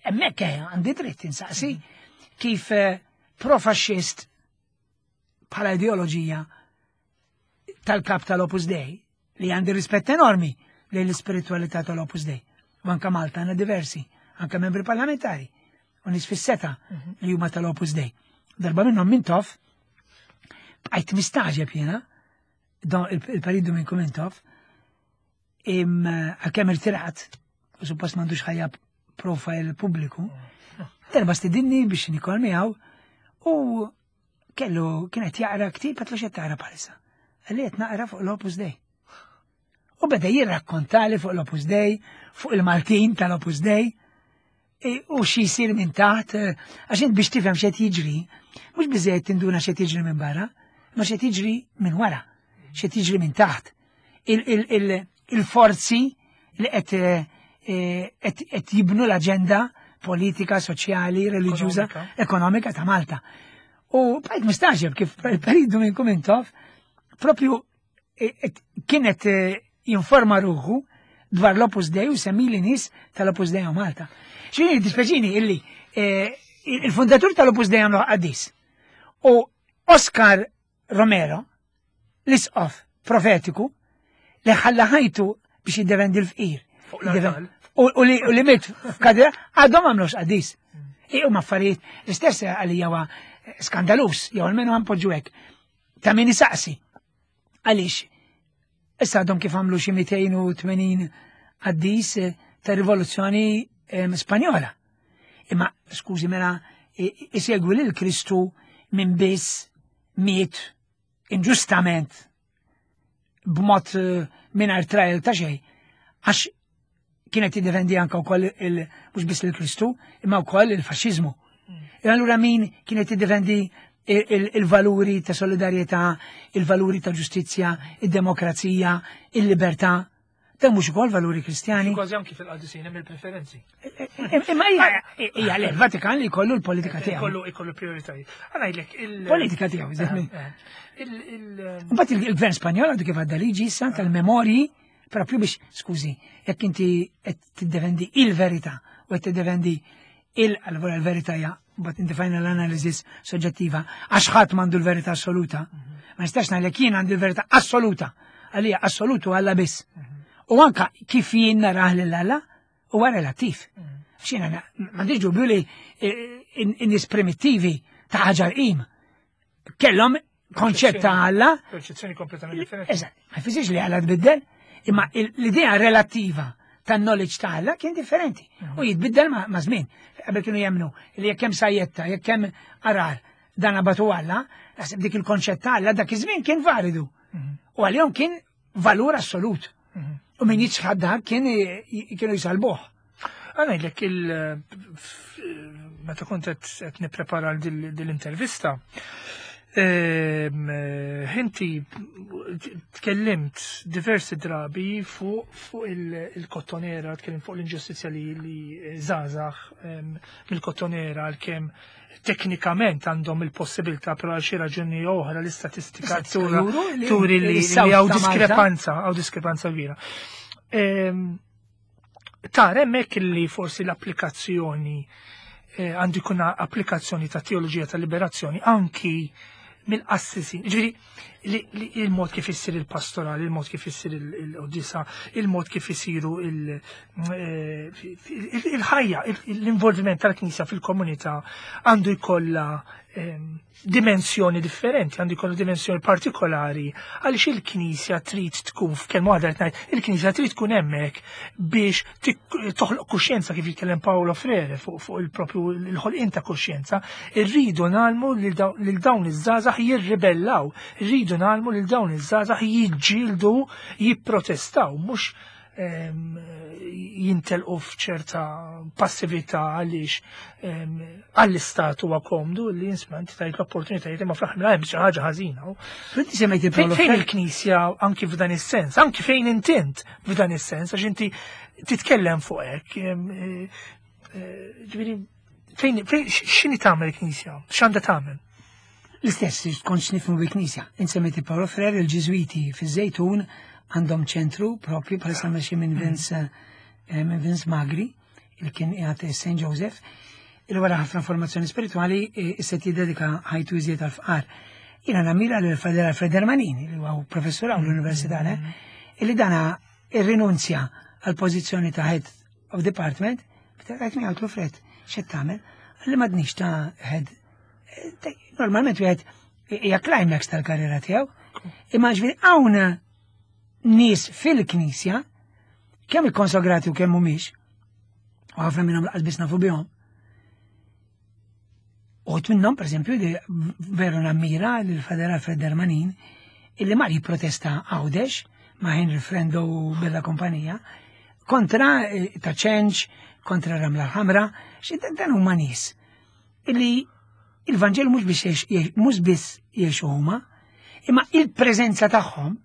Speaker 2: emmek eh, għandi dritt insaqsi kif eh, profaxxist bħala ideoloġija tal-kap tal-Opus Dei, li għandi rispett enormi lejn l-ispiritualità tal-Opus Dei. U anka Malta għandna diversi, anka membri parlamentari, u nies fis-seta mhm. li huma tal-Opus Dei. Darba minnhom Mintoff, bqajt mistaġeb jiena, il-Parid Dominku Mintoff, għalkemm irtirat, u suppost m'għandux ħajja profile pubbliku, darba stidinni biex nikol miegħu u kellu kienet jaqra ktib għatlu xed taqra bħalissa. Għalli qed naqra fuq l-Opus Dei. U beda jirrakkontali fuq l-Opus Dei, fuq il-Maltin tal-Opus Dei, e, u xi jsir minn taħt, e, għax int biex tifhem x'qed jiġri, mhux biżejjed tinduna x'qed jiġri minn barra, ma x'qed jiġri minn wara, x'qed jiġri minn taħt. Il-forzi li qed e, qed jibnu l-aġenda politika, soċjali, reliġjuża, ekonomika ta' Malta. U bqajt mistaġeb kif peridu minn Kumintoff propju e, e, kienet e, jinforma ruħu dwar l-Opus Dei u semmi li nis tal-Opus Dei Malta. Xini dispeċini illi il-fundatur tal-Opus Dei għamlu qaddis. U Oscar Romero, l-isqof profetiku, li ħalla ħajtu biex jiddefendi l-fqir. U li mit f'kadra, għadhom għamlux qaddis. Iqum affarijiet, l-istess għalija huwa skandalus, jew almenu għanpoġġu hekk. Ta' min isaqsi. Għaliex, issa għadhom kif għamlu xi 280 qaddis eh, ta' rivoluzzjoni eh, Spanjola. Imma, skużi mela, isegwi lil Kristu minn biss miet inġustament b'mod eh, mingħajr trial ta' xejn, għax kienet jiddefendi anka wkoll il mhux biss il-Kristu, imma wkoll il-faxxiżmu. Mm. E allura min kienet jiddefendi il-valuri ta' solidarjetà, il-valuri ta' ġustizzja, id-demokrazija, il-libertà, Dan mhux ukoll valuri Kristjani.
Speaker 1: Kważi anki fil-qadisin hemm il-preferenzi.
Speaker 2: Imma hija hija le l-Vatikan li jkollu l-politika tiegħu.
Speaker 1: Ikollu ikollu prioritajiet. Ngħidlek
Speaker 2: il-politika tiegħu. Eh, eh. Mbagħad il-gvern Spanjol għadu kif għadda liġi issa tal-memorji propju biex, skużi, jekk inti qed tiddefendi il-verità u qed tiddefendi il-verità hija but in the final analysis soġġettiva, għax ħadd m'għandu l-verità assoluta. Mhm. Ma nistax ngħidlek jien għandi l-verità assoluta. Għalija assolutu Alla biss. Mhm. U anka kif jien narah lil Alla huwa relattiv. Mhm. X'jiena m'għandix dubju li eh, in-nies primittivi ta' ħaġar qim kellhom konċett ta' Alla.
Speaker 1: Perċezzjoni kompletament differenti.
Speaker 2: Eżatt, ma jfissirx li Alla tbiddel, imma l-idea relattiva tan knowledge ta' Alla kien differenti u jitbiddel ma' żmien. Qabel kienu jemnu li jekk hemm sajjetta, jekk hemm arar, dan abatu Alla, naħseb dik il-konċett ta' Alla dak iż-żmien kien validu. Mhm. U għalihom kien valur assolut. Mhm. U min jiċħad dak kien kienu jisalbuh.
Speaker 1: Għanajdlek il meta kont qed nipprepara dil-intervista, ehm, inti tkellimt diversi drabi fuq il-kottonera, tkellimt fuq l-inġustizzja li żgħażagħ ehm, mill-kottonera għalkemm teknikament għandhom il-possibilità però għal xi raġuni oħra l-istatistika turi li hawn diskrepanza, hawn diskrepanza kbira. Ehm, Tara hemmhekk li forsi l-applikazzjoni eh, għandu jkun applikazzjoni ta' teoloġija ta' liberazzjoni anki mill-qassisin. Ġifieri il-mod kif issir il-pastoral, il-mod kif issir il-qudisa, il-mod kif isiru eh, il-ħajja, l-involviment tal-Knisja fil-komunità għandu jkollha dimensjoni differenti, għandu jkollu dimensjoni partikolari, għaliex il-Knisja trid tkun f'kelma waħda qed ngħid, il-Knisja trid tkun hemmhekk biex toħloq kuxjenza kif jitkellem Paolo Freire fuq il-propju l-ħolqien ta' kuxjenza, irridu nagħlmu lil dawn iż-żgħażagħ jirribellaw, irridu nagħlmu lil dawn iż-żgħażagħ jiġġieldu, jipprotestaw, mhux jintelqu f'ċerta passività għaliex għall-istat huwa komdu li jinsma inti tajt l-opportunitajiet imma fl-aħħar hemm xi ħaġa ħażina. Fejn il-Knisja anki f'dan is-sens, anki fejn intint f'dan is-sens, għax inti titkellem fuq hekk. Eh, eh, ġifieri fejn x'inhi tagħmel il-Knisja? X'għandha tagħmel?
Speaker 2: L-istess, tkun x'nifhmu bil-Knisja. Insemmejt Paolo Freire, il-Ġiżwiti fiż-Żejtun għandhom ċentru propju bħalissa mexi minn Vince eh, minn Vince Magri, il kien qiegħed St. Joseph, il wara ħafna formazzjoni spirituali eh, issa jiddedika ħajtu iżjed għal-fqar. Jiena namira lil Fader Alfred Hermanini, li huwa professur hawn l-Università, mm-hmm. illi dana irrinunzja għal pożizzjoni ta' head of department, b'telqajt miegħu Fred, x'qed tagħmel? Għalli m'għadniex ta' head Normalment wieħed hija climax tal-karriera tiegħu. Imma ġifieri hawn nies fil-knisja kemm ikkonsagrati u kemm mhumiex, u ħafna minnhom laqas biss nafu bihom. Uħut minnhom, pereżempju, li veru nammira lil Fader Alfred Darmanin, illi mar jipprotesta Għawdex ma' Henry Frendo u Bella Kompanija kontra eh, ta' ċenċ, kontra Ramla l-Ħamra, xi dan huma nies illi il-Vanġelu mhux biex mhux biss jgħixu huma, imma il-preżenza tagħhom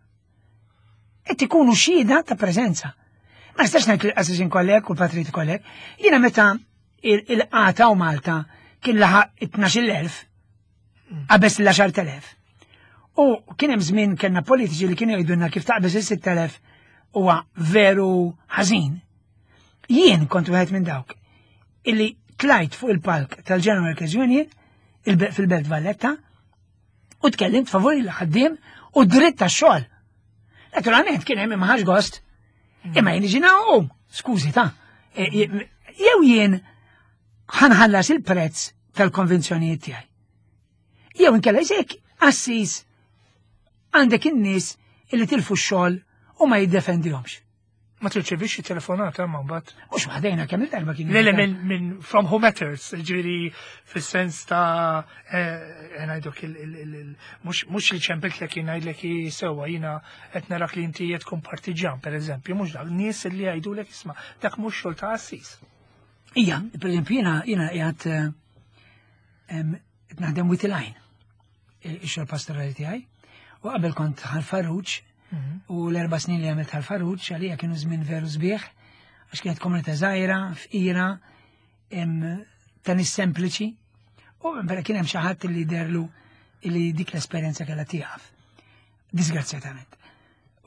Speaker 2: qed ikunu xhieda ta' preżenza. Ma nistax ngħid li l-qassisin kollek u l-patriti kollek, jiena meta il-qata u Malta kien laħaq 12,000 qabeż l-10,000. U kien hemm żmien kellna politiċi li kienu jgħidulna kif taqbeż is-6,000 huwa veru ħażin. Jien kont wieħed minn dawk illi tlajt fuq il-palk tal-General Workers Union fil-Belt Valletta u tkellimt favur il-ħaddiem u dritt tax-xogħol. Naturalment kien hemm imma gost. Imma jien ġina u skużi ta' e, jew jien ħanħallas il-prezz tal-konvenzjonijiet tiegħi. Jew inkella jekk assis għandek in-nies illi tilfu x-xogħol u ma jiddefendihomx.
Speaker 1: Ma tirċevix xi telefonata ma mbagħad.
Speaker 2: Mhux waħdejna kemm il-darba
Speaker 1: kien. Le minn min from who matters, ġifieri fis-sens ta' eh, ngħidok mhux li ċempelt lek ngħidlek sewwa jiena qed narak li inti qed tkun partiġjan pereżempju, mhux dak nies li jgħidulek isma' dak mhux xogħol ta' assis.
Speaker 2: Ija, pereżempju jiena jiena qiegħed eh, qed naħdem with line ix-xogħol pastorali tiegħi. U qabel kont ħal-Farruġ mhm. u l-erba' snin li għamilt ħal-Farruġ għalija kienu żmien veru sbieħ għax kienet komunità żgħira, fqira, ta' nies sempliċi. U vera kien hemm xi ħadd li derlu li dik l-esperjenza kellha tieqaf. Disgrazzjatament.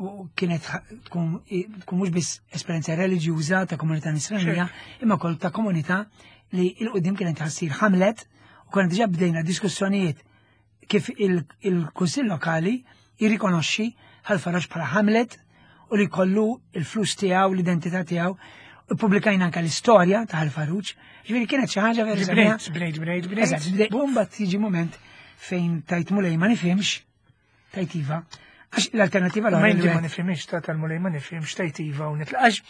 Speaker 2: U kienet tkun mhux biss esperjenza reliġjuża ta' komunità nisranija, imma kol ta' komunità li il-qudiem kienet ħassir ħamlet u konna diġà bdejna diskussjonijiet kif il-Kunsill Lokali jirrikonoxxi ħal-Faraġ bħala ħamlet u li kollu il-flus tiegħu, l-identità tiegħu. U publikajna anka l-istorja ta' ħal-Faruġ. Ġifieri kienet xi ħaġa
Speaker 1: vera. Bnejt, bnejt, bnejt,
Speaker 2: bnejt. Bumba tiġi moment fejn tajt mulej ma nifhimx Tajt iva. Għax l-alternativa
Speaker 1: l Ma ma nifhimx ta' tal-mulej ma nifhimx tajt iva u nitlaq.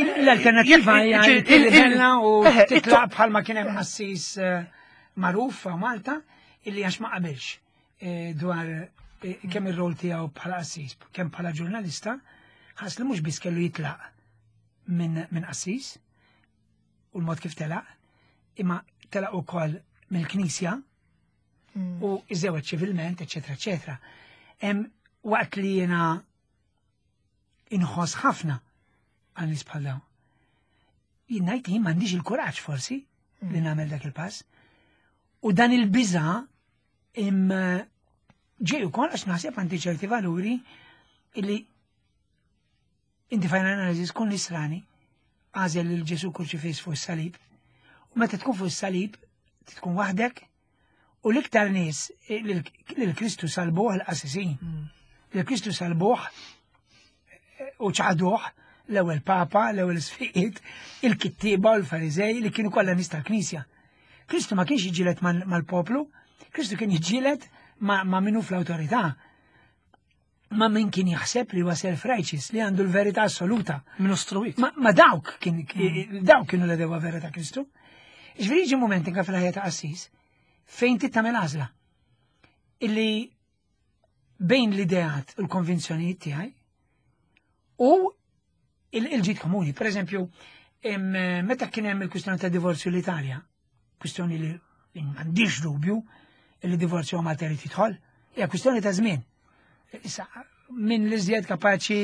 Speaker 2: L-alternativa hija il-bella u titlaq bħalma kien hemm qassis eh, magħruf Malta illi għax ma qabilx eh, dwar eh, kemm ir-rol tiegħu bħala qassis, kemm bħala ġurnalista, ħass li mhux biss kellu jitlaq minn qassis u l-mod kif telaq, imma telaq ukoll mill-knisja mm. u iżewet ċivilment, eċetera, eċetera. Waqt li jena inħoss ħafna għal nies bħal dawn. Jien ngħid li m'għandix il-kuraġġ forsi mm. li nagħmel dak il-pass. U dan il-biża' im ġej ukoll għax naħseb għandi ċerti valuri illi Inti final analysis kun nisrani, għażel lil Ġesu kurċifiss fuq is-salib. U meta tkun fuq is-salib, tkun waħdek U l-iktar nies lil Kristu salbuh l-qassisin. Lil Kristu salbuh u ċaħduh l-ewwel papa, l-ewwel isfiqiet, il-kittieba u l-Fariżej li kienu kollha nies tal-Knisja. Kristu ma kienx jiġġieled mal-poplu, Kristu kien jiġġieled ma' minnu fl-awtorità. Ma' min kien jaħseb li huwa self-righteous, li għandu l-verità assoluta.
Speaker 1: Min istruit.
Speaker 2: Ma dawk kien dawk kienu l-edewa vera ta' Kristu. Ġifieri jiġi moment inka fil-ħajja ta' qassis fejn trid tagħmel għażla illi bejn l-ideat u l-konvinzjonijiet tiegħi u il-ġid komuni. Per eżempju, meta kien hemm il-kwistjoni ta' divorzju l-Italja, kwistjoni li m'għandix dubju li divorzju Malta jrid jidħol, hija kwistjoni ta' żmien. Issa, min li żjed kapaċi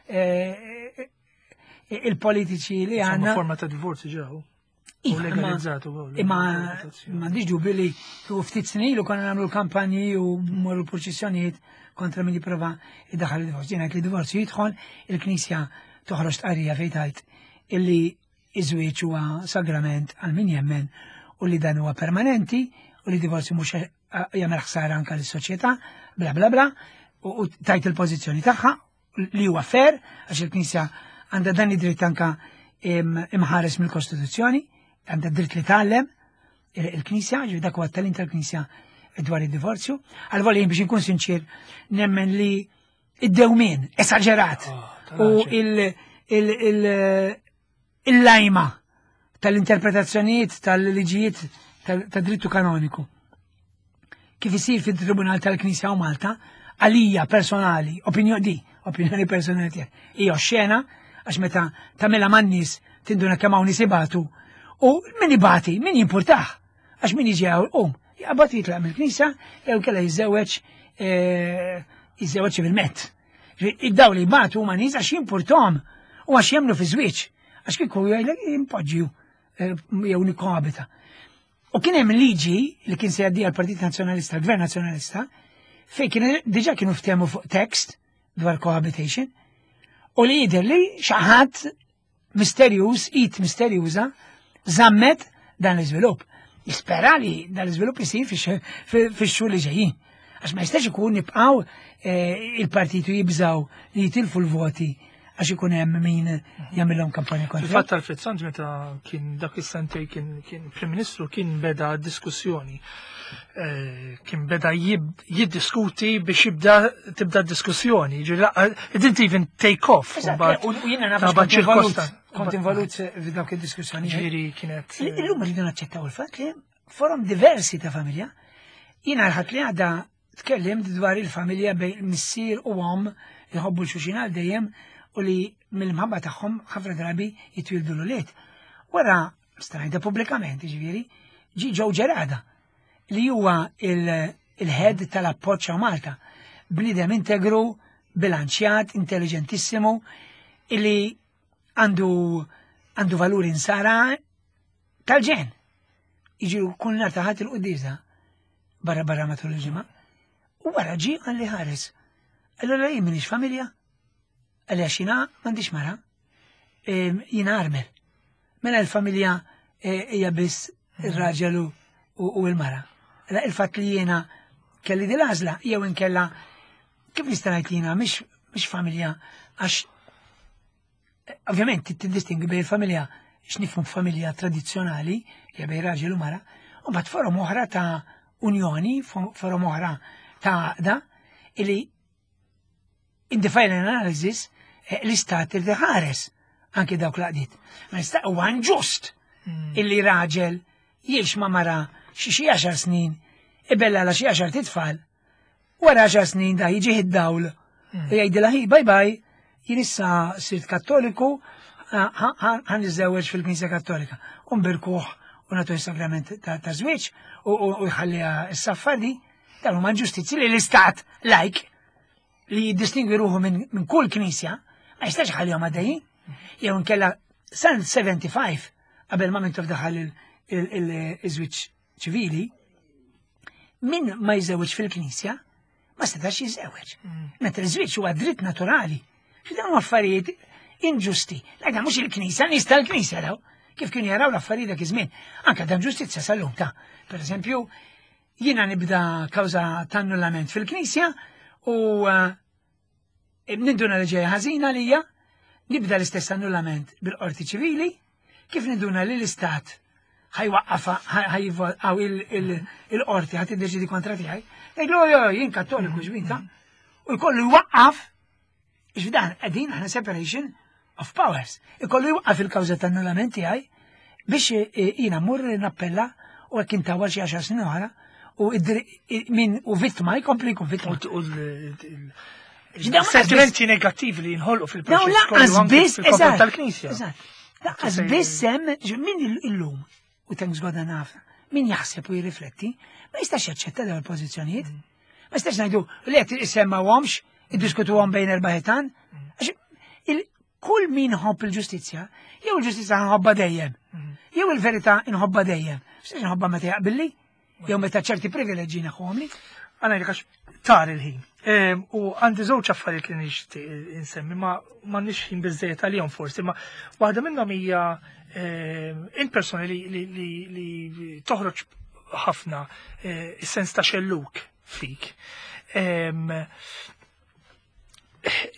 Speaker 2: eh, il-politiċi li għandna.
Speaker 1: Forma ta' divorzju ġew.
Speaker 2: U legalizzatu. Imma m'għandix dubju li u ftit snin ilu konna nagħmlu l-kampanji u morru proċessjonijiet kontra min jipprova iddaħħal il-divorzju. Jien li divorzju jidħol, il-Knisja toħroġ tqarrija fejn tgħid illi iż-żwieġ huwa sagrament għal min jemmen u li dan huwa permanenti u li divorzju mhux jagħmel ħsara anke lis-soċjetà, bla bla bla, u tajt il-pożizzjoni tagħha li huwa fair għax il-Knisja għandha dan id-dritt anka imħares mill-Kostituzzjoni, għandha dritt li tgħallem il-Knisja, ġi dak huwa t-tagħlim tal-Knisja dwar id-divorzju. Għal-volja biex inkun sinċir, nemmen li id-dewmien esaġerat oh, u il-lajma tal-interpretazzjonijiet tal-liġijiet tad-drittu kanoniku. Kif isir fit-Tribunal tal-Knisja u Malta, għalija personali, opinjoni di, opinjoni personali tiegħek, hija xena għax meta tagħmilha man-nies tinduna kemm hawn nies ibatu u min ibati, min jimpurtah, għax min jiġi hawn qum, jaqbad jitlaq mill-knisja jew kellha jiżżewweġ eh, jiżżewweġ ċivilment. Id-daw li jbatu huma nies għax jimpurtom u għax jemnu fi żwieġ. Għax kieku jgħidlek jimpoġġju eh, jew nikkoabita. U kien hemm liġi li kien se jgħaddi għall-Partit Nazzjonalista, l-Gvern Nazzjonalista, fejn kien diġà kienu ftehmu fuq tekst dwar cohabitation u li jidher li xi ħadd misterjuż, id misterjuża, żammet dan l-iżvilupp. Jispera li dan l-iżvilupp isir fix-xhur li ġejjin. Għax ma jistax ikun nibqgħu eh, il-partitu jibżaw li jitilfu l-voti għax ikun hemm min jagħmilhom kampanja kontra.
Speaker 1: Fil-fatt Alfred Sant meta kien dak is-sentej kien Prim Ministru kien beda diskussjoni. Eh, kien beda jiddiskuti biex jibda tibda diskussjoni. It didn't even take off.
Speaker 2: U jiena naf kont involut f'dawk id-diskussjoni.
Speaker 1: Ġifieri kienet.
Speaker 2: Eh, Illum rridu naċċettaw il-fatt li forom diversi ta' familja. Jiena l-ħadd li għadda tkellimt dwar il-familja bejn missier u omm li jħobbu l-xuxin għal dejjem u li mill-mħabba tagħhom ħafna drabi jitwildu l-ulied. Wara strajda pubblikament, ġifieri, ġi ġew ġerada li huwa il-head tal-appoġġ Malta. Bniedem integru, bilanċjat, intelligentissimu, illi għandu għandu valuri nsara tal-ġen. Iġi kull nar taħat il-quddiesa barra barra matul il-ġimgħa. U wara ġi għalli ħares. Allora jien minix familja, għalli għax jiena m'għandix mara, jiena armel. Mela l-familja eh, hija biss ir-raġel u l-mara. Mela il-fatt li jiena kelli din l-għażla jew inkella kif nista' ngħid jiena mhix familja għax eh, ovvjament tiddistingwi bejn familja x'nifhmu familja tradizzjonali li bejn raġel u mara, u mbagħad forom oħra ta' unjoni, forom oħra ta' għaqda illi In the final analysis, eh, l-istat irid iħares anki dawk l-għaqdiet. Ma jista' huwa inġust hmm. illi raġel jgħix ma' mara xi xi għaxar snin, ibella la xi għaxar titfal, wara għaxar snin da jiġi id-dawl hmm. u jgħidilha hi bye bye, jien issa sirt kattoliku, ħan niżżewweġ fil-Knisja Kattolika. U nbirkuh u nagħtu s-sagrament ta' żwieġ u jħalliha s-saffadi, dan huma ġustizzji li l-istat lajk li jiddistingwi ruħu minn kull knisja, ma jistax ħallihom għaddejjin. Jew inkella san 75 qabel ma mintof daħal il-żwieġ ċivili, min ma jiżewweġ fil-knisja ma setax jiżewweġ. Mm. Mentre iż-żwieġ huwa dritt naturali. Xi dawn affarijiet inġusti. Lajda mhux il-knisja, nies tal-knisja daw. Kif kienu jaraw l-affarijiet dak iż-żmien. Anke dan ġustizzja sal-lum ta'. Per eżempju, Jiena nibda kawża ta' annullament fil-Knisja u eh, ninduna li ġejja ħażina lija, nibda l-istess annullament bil-qorti ċivili, kif ninduna li l-istat ħajwaqqafa ħajgħaw il-qorti ħat iddeċidi kontra tiegħi. Ngħidlu jo jien kattoliku ġbinta. U jkollu jwaqqaf Ġdan qegħdin aħna separation of powers. Ikollu jwaqqaf il-kawża ta' annullament tiegħi biex eh, jiena mmur nappella u hekk intawal xi għaxar snin oħra u min u vittma jkompli jkun vittma.
Speaker 1: Sentimenti negattivi li jinħolqu fil-proċess
Speaker 2: kollu biss
Speaker 1: tal-Knisja.
Speaker 2: Eżatt. Laqqas biss hemm min illum u thanks God naf, min jaħseb u jirrifletti, ma jistax jaċċetta dawn il-pożizzjonijiet. Ma jistax ngħidu li qed isemmawhomx, iddiskutuhom bejn erba' ħitan. Għax kull min ħobb il-ġustizzja, jew il-ġustizzja nħobba dejjem, jew il-verità nħobba dejjem. Jistax nħobba meta jaqbilli, jew meta ċerti privileġġi naħuhomli.
Speaker 1: Għana għax tar il-ħin. U għandi żewġ affarijiet li nixtieq insemmi, ma m'għandniex ħin biżejjed għalihom forsi, ma waħda minnhom hija il-persuni li toħroġ ħafna eh, is-sens ta' xelluk fik.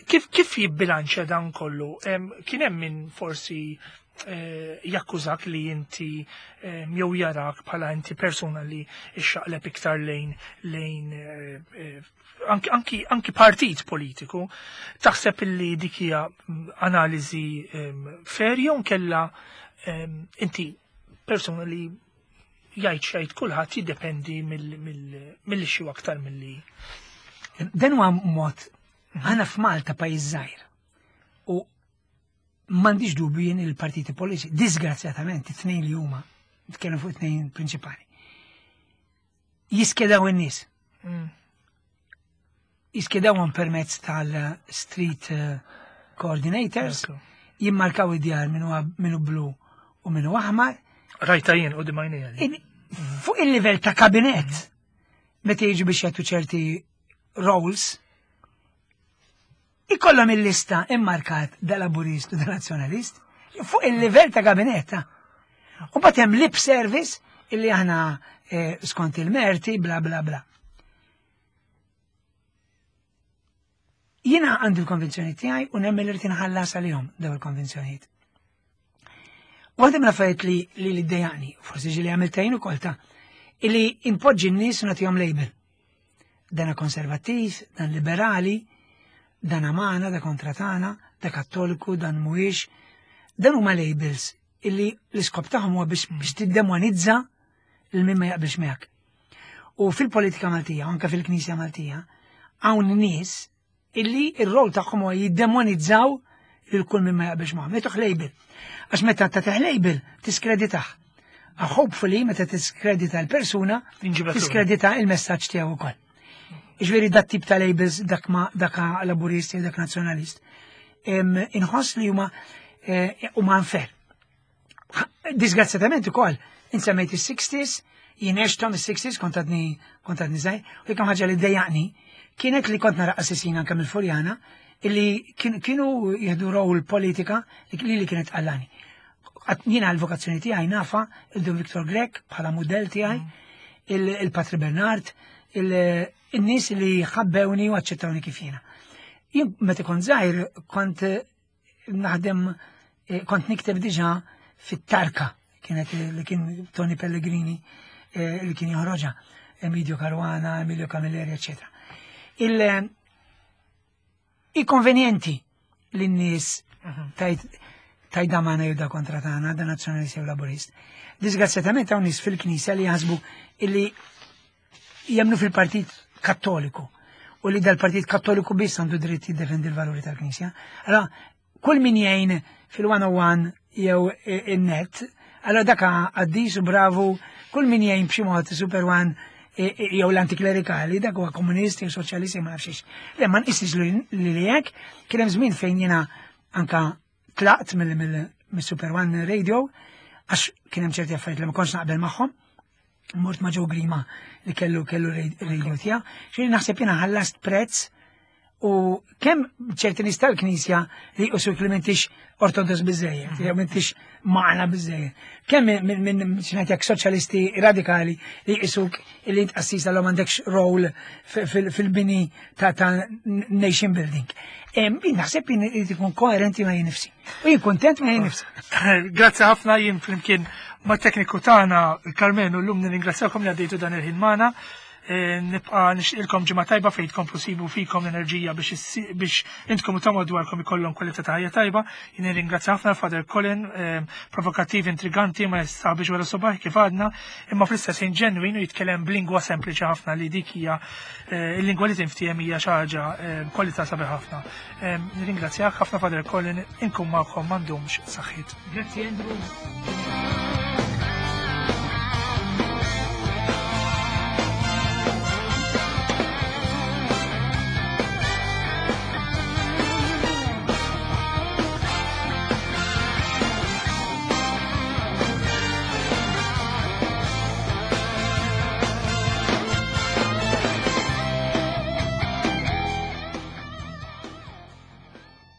Speaker 1: Kif kif jibbilanċja dan kollu? Kien hemm min forsi eh, jakkużak li inti jew jarak bħala inti persuna li xaqleb iktar lejn lejn eh, anki, anki, anki partit politiku, taħseb illi dik hija mm, analiżi fair jew nkella inti persuna li jgħid xejn kulħadd jiddependi mill xi aktar milli.
Speaker 2: Dan huwa mod aħna f'Malta pajjiż żgħir u m'għandix dubju jien il-partiti politiċi, disgrazzjatament it-tnejn li huma, nitkellem fuq it-tnejn prinċipali. Jiskedaw in-nies. Jiskedawhom permezz tal-street eh, coordinators, jimmarkaw id-djar minnu blu u minnu aħmar.
Speaker 1: Rajta jien u dimajnija.
Speaker 2: Fuq il-livell ta' kabinet, meta jiġu biex jagħtu ċerti roles, ikollhom il-lista immarkat da laburist u da nazzjonalist fuq il-livell ta' kabinett. U bat hemm lip service illi aħna eh, skont il-merti bla bla bla. Jiena għandi l-konvinzjoni tiegħi u nemmen li rrid inħallas għalihom daw il-konvinzjonijiet. Waħda mill-affarijiet li li li ddejjaqni, forsi ġieli għamilta jien ukoll ta' illi impoġġi n-nies u nagħtihom label. Dana konservattiv, dan liberali, dan amana, da kontra tagħna, da kattoliku, dan mhuwiex. Dan huma labels illi l-iskop tagħhom huwa biex, biex tiddemonizza lil min ma jaqbilx miegħek. U fil-politika Maltija, anke fil-Knisja Maltija, hawn nies illi ir-rol tagħhom huwa jiddemonizzaw lil kull min ma jaqbilx magħhom. Jagħtuh label. Għax meta tagħtih label tiskreditah. Ah, hopefully meta tiskredita l-persuna, tiskredita il-messaġġ tiegħu wkoll. Iġveri dat tip ta' labels dak ma dak laburist jew dak nazzjonalist. Inħoss li huma eh, huma unfair. Disgrazzjatament ukoll, insemmejt is-60s, jien għexthom is-60s kont għadni kont għadni żgħir, u jekk ħaġa li dejjaqni kienet li kont nara qassisin anke mill-Furjana illi kienu jieħdu rol politika li li kienet għallani. Jiena l-vokazzjoni tiegħi nafa il-Dun Victor Grech bħala mudell tiegħi, il-Patri Bernard, il-nies li ħabbewni u aċċettawni kif jiena. Jien meta kont żgħir kont naħdem eh, kont nikteb diġà fit-tarka kienet li kien Tony Pellegrini eh, li kien joħroġha Emilio Caruana, Emilio Camilleri, eccetera. Il eh, i-konvenjenti li n-nies mhm. tajt tajda magħna jew da kontra tagħna, da nazzjonalist jew laburist. Disgrazzjatament hawn nies fil-Knisja li jaħsbu illi jemnu fil-Partit Kattoliku u li dal-Partit Kattoliku biss għandu dritt jiddefendi l-valuri tal-Knisja. Allora, kull min jgħin fil-101 jew in-net, allora dak għaddis u bravu, kull min jgħin b'xi mod Super One jew l-antiklerikali, dak huwa komunist jew soċjalist jew ma nafx Le ma nqisx li hekk, kien hemm żmien fejn jiena anka tlaqt mill-Super One Radio għax kien hemm ċerti affarijiet li ma kontx naqbel magħhom. Mort ma' Joe Grima li kellu kellu radio tiegħu. Xejn naħseb jiena ħallast prezz U kemm ċerti nies tal-Knisja li jqusuk li m'intix ortodoss biżejjed, jew m'intix magħna biżejjed. Kemm minn x'ngħidlek soċjalisti radikali li jqisuk li int qassis għalhom m'għandekx role fil-bini ta' nation building. Jien naħseb jien irid ikun koerenti ma' jien nifsi. U jien kontent ma' jien nifsi.
Speaker 1: Grazzi ħafna jien flimkien ma' tekniku tagħna Karmenu llum nirringrazzjakom li għaddejtu dan il-ħin magħna. Eh, nibqa nixtilkom ġimgħa tajba fejn tkomplu sibu fikom l-enerġija biex intkom u ta' madwarkom ikollhom kwalità ta' ħajja tajba. Jien nirringrazzja ħafna Father Colin, eh, provokattiv, intriganti, ma jistaħbix wara subaħ kif għadna, imma fl-istess ħin ġenwin u jitkellem b'lingwa sempliċi ħafna li dik hija eh, il-lingwa li tinftiehem hija xi ħaġa kwalità sabiħ ħafna. Nirringrazzjak ħafna Father Colin, inkun magħkom m'għandhomx saħħit.
Speaker 2: Grazzi Andrew.